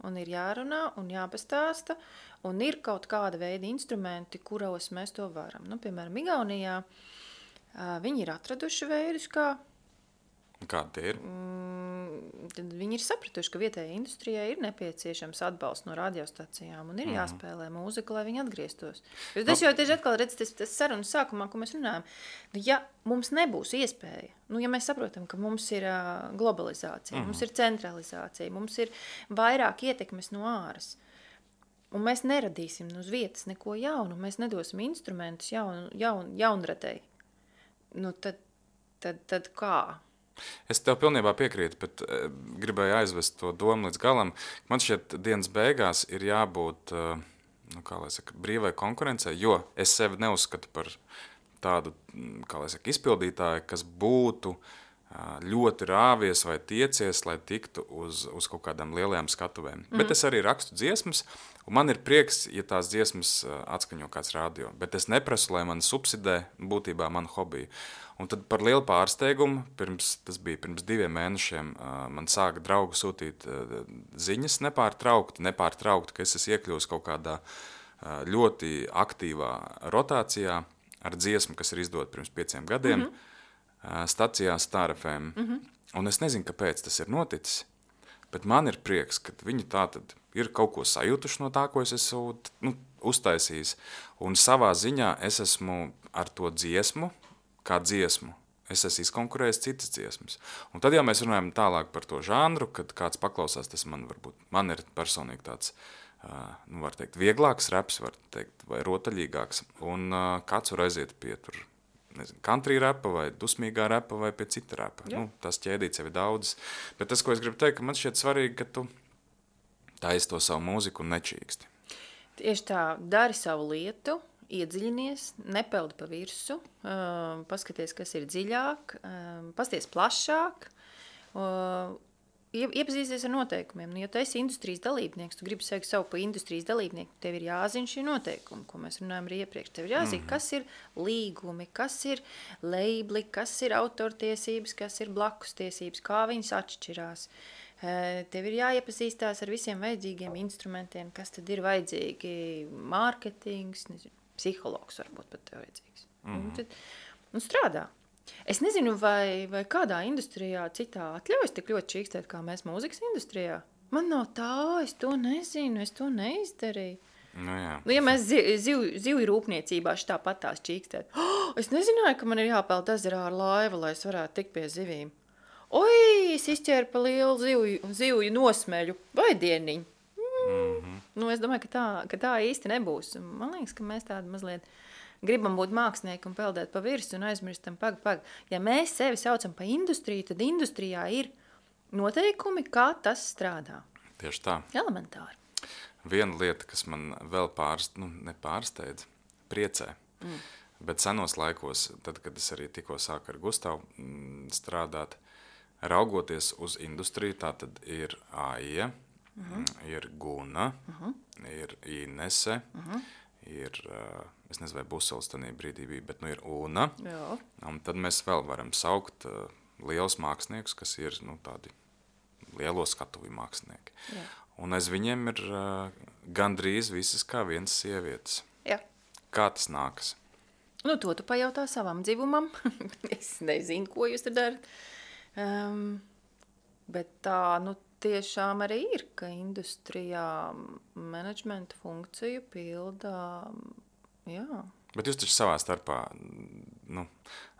un ir jārunā un jāpastāsta, un ir kaut kāda veida instrumenti, kuros mēs to varam. Piemēram, Igaunijā viņi ir atraduši veidus, kā. Kādi tie ir? Tad viņi ir sapratuši, ka vietējai industrijai ir nepieciešams atbalsts no radiostacijām un ir jāspēlē mūzika, lai viņi atgrieztos. Tas jau tieši atkal redz, tas sarunas sākumā, ko mēs runājam. Ja mums nebūs iespēja, ja mēs saprotam, ka mums ir globalizācija, mums ir centralizācija, mums ir vairāk ietekmes no āras, un mēs neradīsim uz vietas neko jaunu, mēs nedosim instrumentus jaunradei, tad kā? Es tev pilnībā piekrītu, bet gribēju aizvest to domu līdz galam. Man šķiet, dienas beigās ir jābūt brīvai konkurencei, jo es sevi neuzskatu par tādu izpildītāju, kas būtu ļoti rāvies vai tiecies, lai tiktu uz kaut kādām lielajām skatuvēm. Bet es arī rakstu dziesmas, un man ir prieks, ja tās dziesmas atskaņo kāds radio. Bet es neprasu, lai man subsidē būtībā manu hobiju. Un tad par lielu pārsteigumu, tas bija pirms 2 mēnešiem, man sāka draugi sūtīt ziņas nepārtraukti, ka es esmu iekļuvis kaut kādā ļoti aktīvā rotācijā ar dziesmu, kas ir izdota pirms 5 gadiem, stacijā Star FM. Un es nezinu, kāpēc tas ir noticis, bet man ir prieks, ka viņi tātad ir kaut ko sajutuši no tā, ko es esmu uztaisījis. Un savā ziņā es esmu ar to dziesmu, kā dziesmu, es esmu izkonkurējis citas dziesmas. Un tad jau mēs runājam tālāk par to žanru, kad kāds paklausās, tas man ir personīgi tāds, var teikt, vieglāks raps, var teikt, vai rotaļīgāks. Un kāds var aiziet pie tur, country rapa vai dusmīgā rapa vai pie cita rapa. Tas ķēdīts jau ir daudz. Bet tas, ko es gribu teikt, ka man šķiet svarīgi, ka tu taisi to savu mūziku un nečīksti. Tieši tā, dari savu lietu, iedziļinies, nepeldi pa virsu, paskaties, kas ir dziļāk, pasties plašāk, iepazīsties ar noteikumiem. Ja tu esi industrijas dalībnieks, tu gribi sevi savu pa industrijas dalībnieku, tev ir jāzina šī noteikumi, ko mēs runājam arī iepriekš. Tev ir jāzina, kas ir līgumi, kas ir leibli, kas ir autortiesības, kas ir blakus tiesības, kā viņas atšķirās. Tev ir jāiepazīstās ar visiem vajadzīgiem instrumentiem, kas tad ir vajadzīgi, mārketings, psihologs varbūt pat tev vajadzīgs. Un strādā. Es nezinu, vai kādā industrijā citā atļaujas tik ļoti čīkstēt, kā mēs mūzikas industrijā. Man nav tā, es to nezinu, es to neizdarīju. Ja mēs zivju rūpniecībā šitā patās čīkstēt. Es nezināju, ka man ir jāpeld ezerā ar laivu, lai es varētu tikt pie zivīm. Oi, es izķēru pa lielu zivju nosmeļu. Vai dieniņu? Es domāju, ka tā īsti nebūs. Man liekas, ka mēs tādi mazliet gribam būt mākslinieki un peldēt pa virsu un aizmirstam pag. Ja mēs sevi saucam pa industriju, tad industrijā ir noteikumi, kā tas strādā. Tieši tā. Elementāri. viena lieta, kas man vēl nepārsteidz, priecē. Bet senos laikos, tad, kad es arī tikko sāku ar Gustavu strādāt, raugoties uz industriju, tā tad ir AIE, ir Guna, ir Inese, ir, es nezinu, vai Busols tanī brīdī bija, bet ir Una. Jā. Un tad mēs vēl varam saukt lielus māksliniekus, kas ir tādi lielo skatuvi mākslinieki. Jā. Un aiz viņiem ir gandrīz visas kā vienas sievietes. Jā. Kā tas nākas? To tu pajautā savam dzivumam. Es nezinu, ko jūs tur darat. Bet tā, tiešām arī ir, ka industrijā menedžmenta funkciju pilda, jā. Bet jūs taču savā starpā,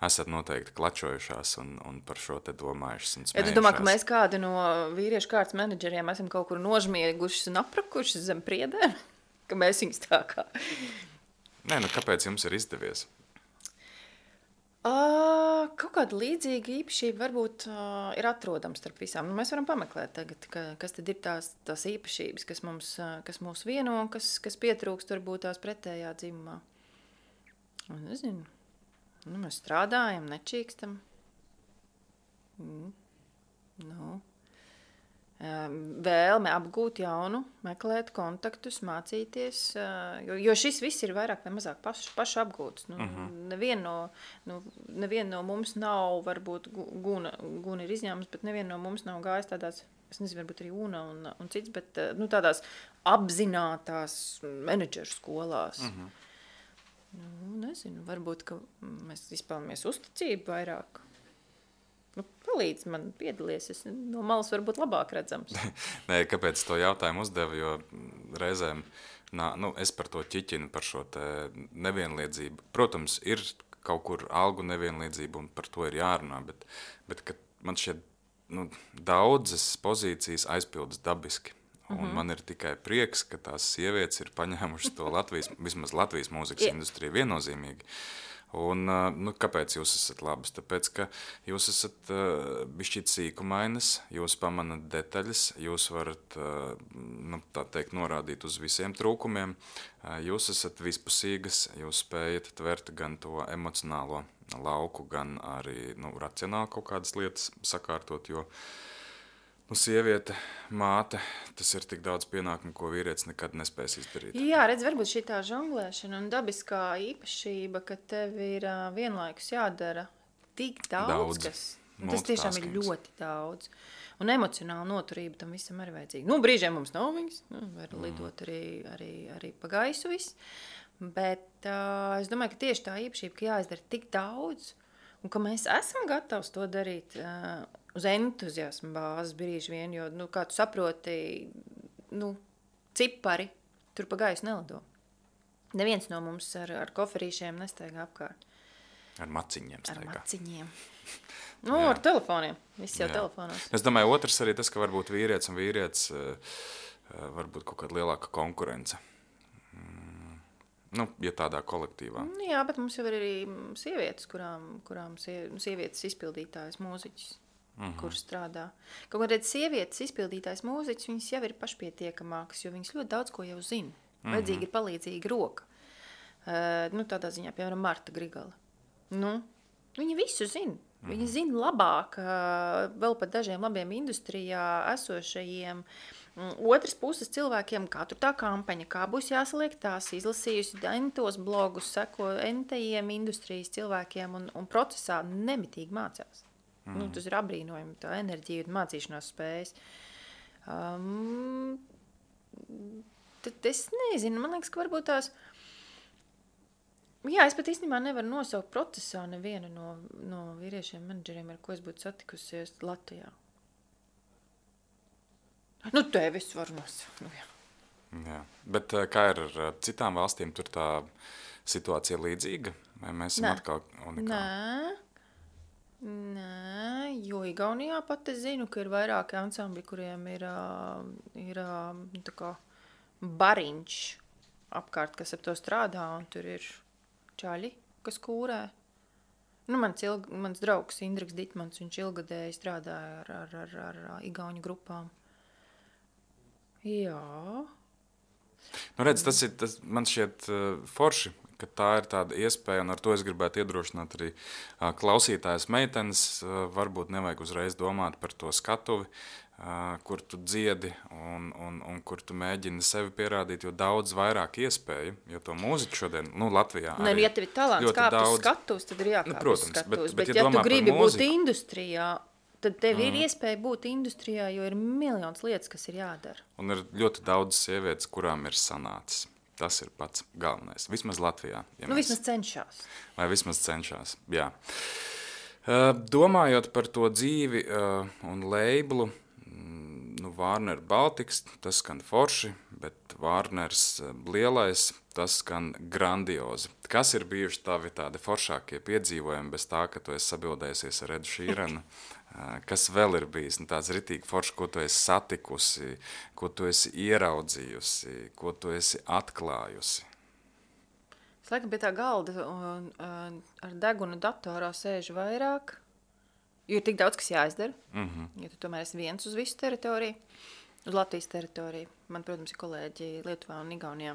esat noteikti klačojušās un par šo te domājušas un smējušās. Ja tu domā, ka mēs kādu no vīriešu kārtas menedžeriem esam kaut kur nožmiegušas un aprakušas zem priedēm? Ka mēs viņus tā kā... Nē, kāpēc jums ir izdevies? Kaut kāda līdzīga īpašība varbūt ir atrodama starp visām. Mēs varam pameklēt tagad, kas tad ir tās īpašības, kas mūs vieno, kas pietrūkst varbūt tās pretējā dzimumā. Nezinu. Mēs strādājam, nečīkstam. Vēlme apgūt jaunu, meklēt kontaktus, mācīties, jo šis viss ir vairāk vai mazāk pašu apgūts. Neviena no mums nav, varbūt Guna ir izņēmums, bet neviena no mums nav gājis tādās, es nezinu, varbūt arī Una un cits, bet tādās apzinātās menedžeru skolās. Nezinu, varbūt, ka mēs izpelnamies uzticību vairāk. Palīdz man piedalies, es no malas varbūt labāk redzams. Nē, kāpēc to jautājumu uzdevu, jo reizēm, es par to ķiķinu, par šo te nevienlīdzību. Protams, ir kaut kur algu nevienlīdzība un par to ir jārunā, bet kad man šķiet, daudzas pozīcijas aizpildas dabiski. Un man ir tikai prieks, ka tās sievietes ir paņēmušas to vismaz Latvijas mūzikas industriju viennozīmīgi. Un, kāpēc jūs esat labas? Tāpēc, ka jūs esat bišķīt sīkumainas, jūs pamanat detaļas, jūs varat, tā teikt, norādīt uz visiem trūkumiem, jūs esat vispusīgas, jūs spējat tvert gan to emocionālo lauku, gan arī, racionāli kaut kādas lietas sakārtot, jo sieviete, māte, tas ir tik daudz pienākumu, ko vīrietis nekad nespēs izdarīt. Jā, redz, varbūt šī tā žonglēšana un dabiskā īpašība, ka tev ir vienlaikus jādara tik daudz kas. Tas tiešām ir ļoti daudz. Un emocionāla noturība tam visam arī vajadzīga. Brīžiem mums nav viņas, var lidot arī pa gaisu viss. Bet es domāju, ka tieši tā īpašība, ka jāizdara tik daudz, un ka mēs esam gatavi to darīt uz entuziasmu bāzes brīži vien, jo, kā tu saproti, cipari tur pa gaisu nelido. Neviens no mums ar koferīšiem nestaigā apkārt. Ar maciņiem staigā. Ar maciņiem. Ar telefoniem. Viss jau telefonos. Es domāju, otrs arī tas, ka varbūt vīrietis un vīrietis varbūt kaut kāda lielāka konkurence. Ja tādā kolektīvā. Jā, bet mums jau ir arī sievietes, kurām sievietes izpildītājas mūziķis. Kur strādā. Kaut kādreiz sievietes izpildītājs mūziķis, viņas jau ir pašpietiekamākas, jo viņas ļoti daudz ko jau zina. Vajadzīga ir palīdzīga roka. Tādā ziņā, piemēram, Marta Grigala. Viņa visu zina. Viņa zina labāk vēl pat dažiem labiem industrijā esošajiem otras puses cilvēkiem, kā tur tā kampaņa, kā būs jāsaliek tās, izlasījusi entos blogus, seko entajiem industrijas cilvēkiem un procesā nemitīgi mācās. Tas ir apbrīnojami, tā enerģija un mācīšanās spējas. Tad es nezinu, man liekas, ka varbūt tās... Jā, es pat īstenībā nevaru nosaukt procesā nevienu no vīriešiem menedžeriem, ar ko es būtu satikusies Latvijā. Tevi es varu nosaukt. Jā, bet kā ir ar citām valstīm, tur tā situācija līdzīga? Vai mēs esam atkal unikāli? Nē, jo Igaunijā pat es zinu, ka ir vairāki ansambļi, kuriem ir tā kā bariņš apkārt, kas ap to strādā, un tur ir čaļi, kas kūrē. Mans draugs Indriks Ditmans, viņš ilgadēji strādāja ar igauņu grupām. Jā, Nu, redz, man šķiet forši, ka tā ir tāda iespēja, un ar to es gribētu iedrošināt arī klausītājas meitenes. Varbūt nevajag uzreiz domāt par to skatuvi, kur tu dziedi un kur tu mēģini sevi pierādīt, jo daudz vairāk iespēju, jo to mūziku šodien, Latvijā arī ja tev ir talants kāpt uz skatuves, tad ir jākāp uz skatuves. Bet ja tu gribi būt industrijā, tad tev ir iespēja būt industrijā, jo ir miljons lietas, kas ir jādara. Un ir ļoti daudz sievietes, kurām ir sanācis. Tas ir pats galvenais. Vismaz Latvijā. Ja vismaz cenšas. Vai vismaz cenšas, jā. Domājot par to dzīvi un leiblu, Warner Baltics, tas skan forši, bet Warners lielais, tas skan grandiozi. Kas ir bijuši tavi tādi foršākie piedzīvojumi bez tā, ka tu esi sabildējusies ar Edu Šīranu? Kas vēl ir bijis tāds ritīgi forši, ko tu esi satikusi, ko tu esi ieraudzījusi, ko tu esi atklājusi? Es laikam pie tā galda un ar degunu datorā sēžu vairāk, jo ir tik daudz, kas jāizdara. Ja tu tomēr esi viens uz visu teritoriju, uz Latvijas teritoriju. Man, protams, ir kolēģi Lietuvā un Igaunijā.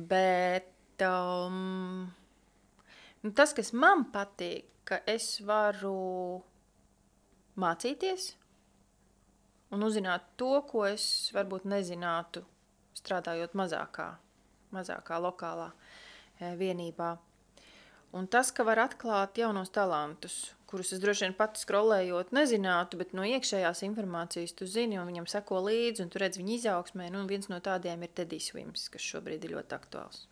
Bet tas, kas man patīk, ka es varu mācīties un uzzināt to, ko es varbūt nezinātu, strādājot mazākā lokālā vienībā. Un tas, ka var atklāt jaunos talantus, kurus es droši vien pati skrolējot nezinātu, bet no iekšējās informācijas tu zini, un viņam seko līdzi, un tu redz viņa izaugsmē, un viens no tādiem ir Tedijs Swims, kas šobrīd ir ļoti aktuāls.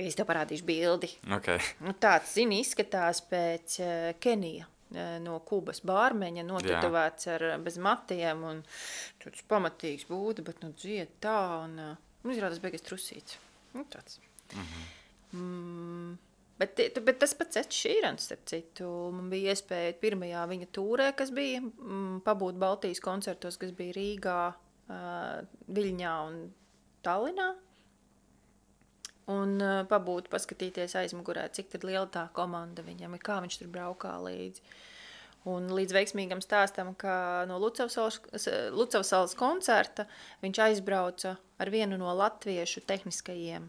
Es tev parādīšu bildi. Okay. Tāds, zini, izskatās pēc Kenija no Kubas bārmeņa, notetovēts ar bez matiem, un tāds pamatīgs būda, bet dzied tā, un izrādās beigas trusīts. Tāds. Bet tas pats Eds Šīrans, starp citu, man bija iespēja pirmajā viņa tūrē, kas bija, pabūt Baltijas koncertos, kas bija Rīgā, Viļņā un Tallinā. Un pabūt, paskatīties aizmugurē, cik tad liela tā komanda viņam ir, kā viņš tur braukā līdzi. Un līdz veiksmīgam stāstam, ka no Lucavsalas koncerta viņš aizbrauca ar vienu no latviešu tehniskajiem,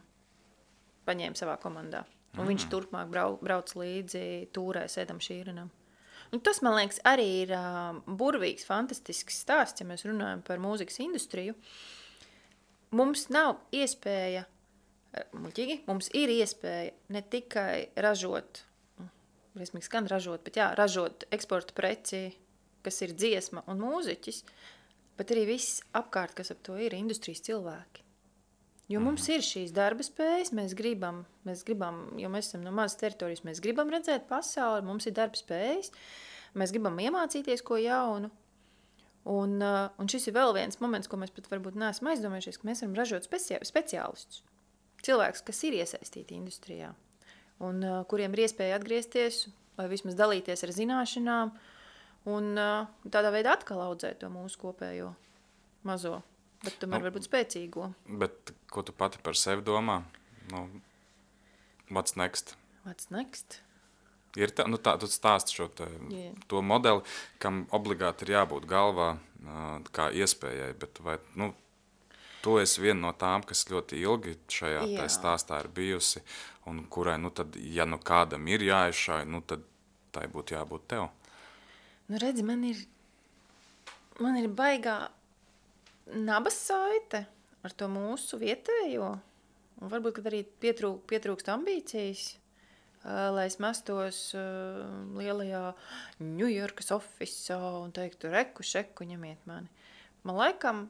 paņēma savā komandā. Un viņš turpmāk brauc līdzi tūrēs Edam Šīranam. Un tas, man liekas, arī ir burvīgs, fantastisks stāsts, ja mēs runājam par mūzikas industriju. Mums nav iespēja muļķīgi, mums ir iespēja ne tikai ražot, briesmīgi skan ražot, bet ražot eksporta preci, kas ir dziesma un mūziķis, bet arī viss apkārt, kas ap to ir, industrijas cilvēki. Jo mums ir šīs darba spējas, mēs gribam, jo mēs esam no mazas teritorijas, mēs gribam redzēt pasauli, mums ir darba spējas, mēs gribam iemācīties ko jaunu. Un šis ir vēl viens moments, ko mēs pat varbūt neesam aizdomājušies, ka mēs varam ražot speciālistus. Cilvēks, kas ir iesaistīti industrijā un kuriem ir iespēja atgriezties vai vismaz dalīties ar zināšanām un tādā veidā atkal audzēt to mūsu kopējo mazo, bet tomēr varbūt spēcīgo. Bet ko tu pati par sevi domā? What's next? What's next? Ir tā, tu stāsti šo to modeli, kam obligāti ir jābūt galvā kā iespējai, bet vai, tu esi viena no tām, kas ļoti ilgi šajā stāstā ir bijusi, un kurai, tad, ja kādam ir jāizšāj, tad tai būtu jābūt tev. Redzi, man ir baigā nabas saite ar to mūsu vietējo, un varbūt, kad arī pietrūkst ambīcijas, lai es mestos lielajā Ņujorkas ofisā un teiktu, reku, šeku, ņemiet mani. Man laikam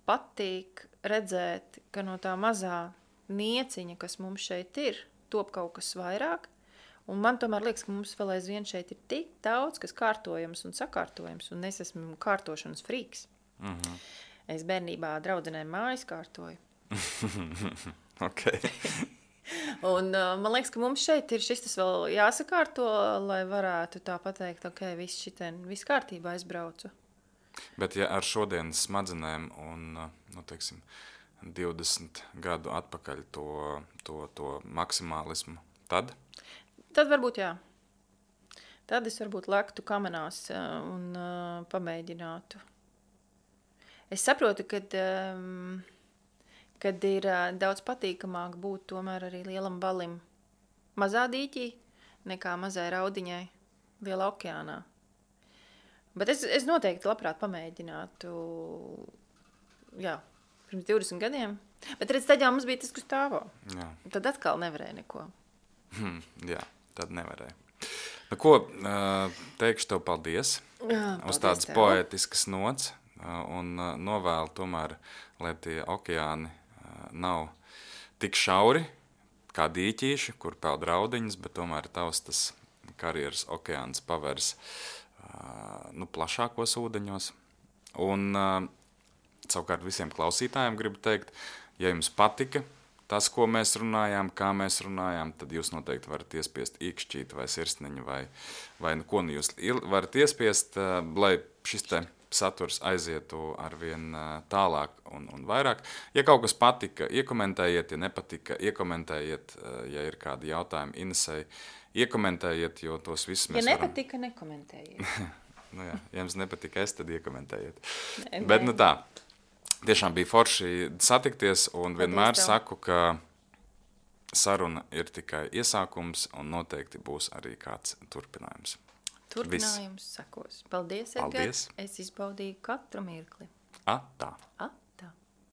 patīk redzēt, ka no tā mazā nieciņa, kas mums šeit ir, top kaut kas vairāk. Un man tomēr liekas, ka mums vēl aizvien šeit ir tik daudz, kas kārtojams un sakārtojams, un es esmu kārtošanas frīks. Es bērnībā draudzenēm mājas kārtoju. Okay. Un man liekas, ka mums šeit ir šis tas vēl jāsakārto, lai varētu tā pateikt, ok, viss kārtībā aizbraucu. Bet ja ar šodienas smadzenēm un, 20 gadu atpakaļ to maksimālismu, tad? Tad varbūt jā. Tad es varbūt lektu kamenās un pamēģinātu. Es saprotu, kad ir daudz patīkamāk būt tomēr arī lielam valim mazā dīķī, nekā mazai raudiņai lielā okeānā. Bet es noteikti labprāt pamēģinātu, jā, pirms 20 gadiem. Bet redz, tad jau mums bija tas, kas stāvo. Jā. Tad atkal nevarēja neko. Jā, tad nevarēja. Nu, ko, teikšu tev paldies uz tādas poētiskas nots un novēlu tomēr, lai tie okeāni nav tik šauri kā dīķīši, kur peld raudiņas, bet tomēr tavs tas karjeras okeāns pavērs plašākos ūdeņos. Un savukārt visiem klausītājiem gribu teikt, ja jums patika tas, ko mēs runājām, kā mēs runājām, tad jūs noteikti varat iespiest īkšķīti vai sirsniņu vai ko nu jūs varat iespiest, lai šis te saturs aizietu arvien tālāk un vairāk. Ja kaut kas patika, iekomentējiet, ja nepatika, iekomentējiet, ja ir kādi jautājumi Inesei, iekomentējiet, jo tos visus mēs varam... Ja nepatika, nekomentējiet. Nu jā, ja jums nepatika tad iekomentējiet. Bet nu tā. Tiešām bija forši satikties un vienmēr saku, ka saruna ir tikai iesākums un noteikti būs arī kāds turpinājums. Turpinājums sakos. Paldies, Edgar. Es izbaudīju katru mirkli. Tā.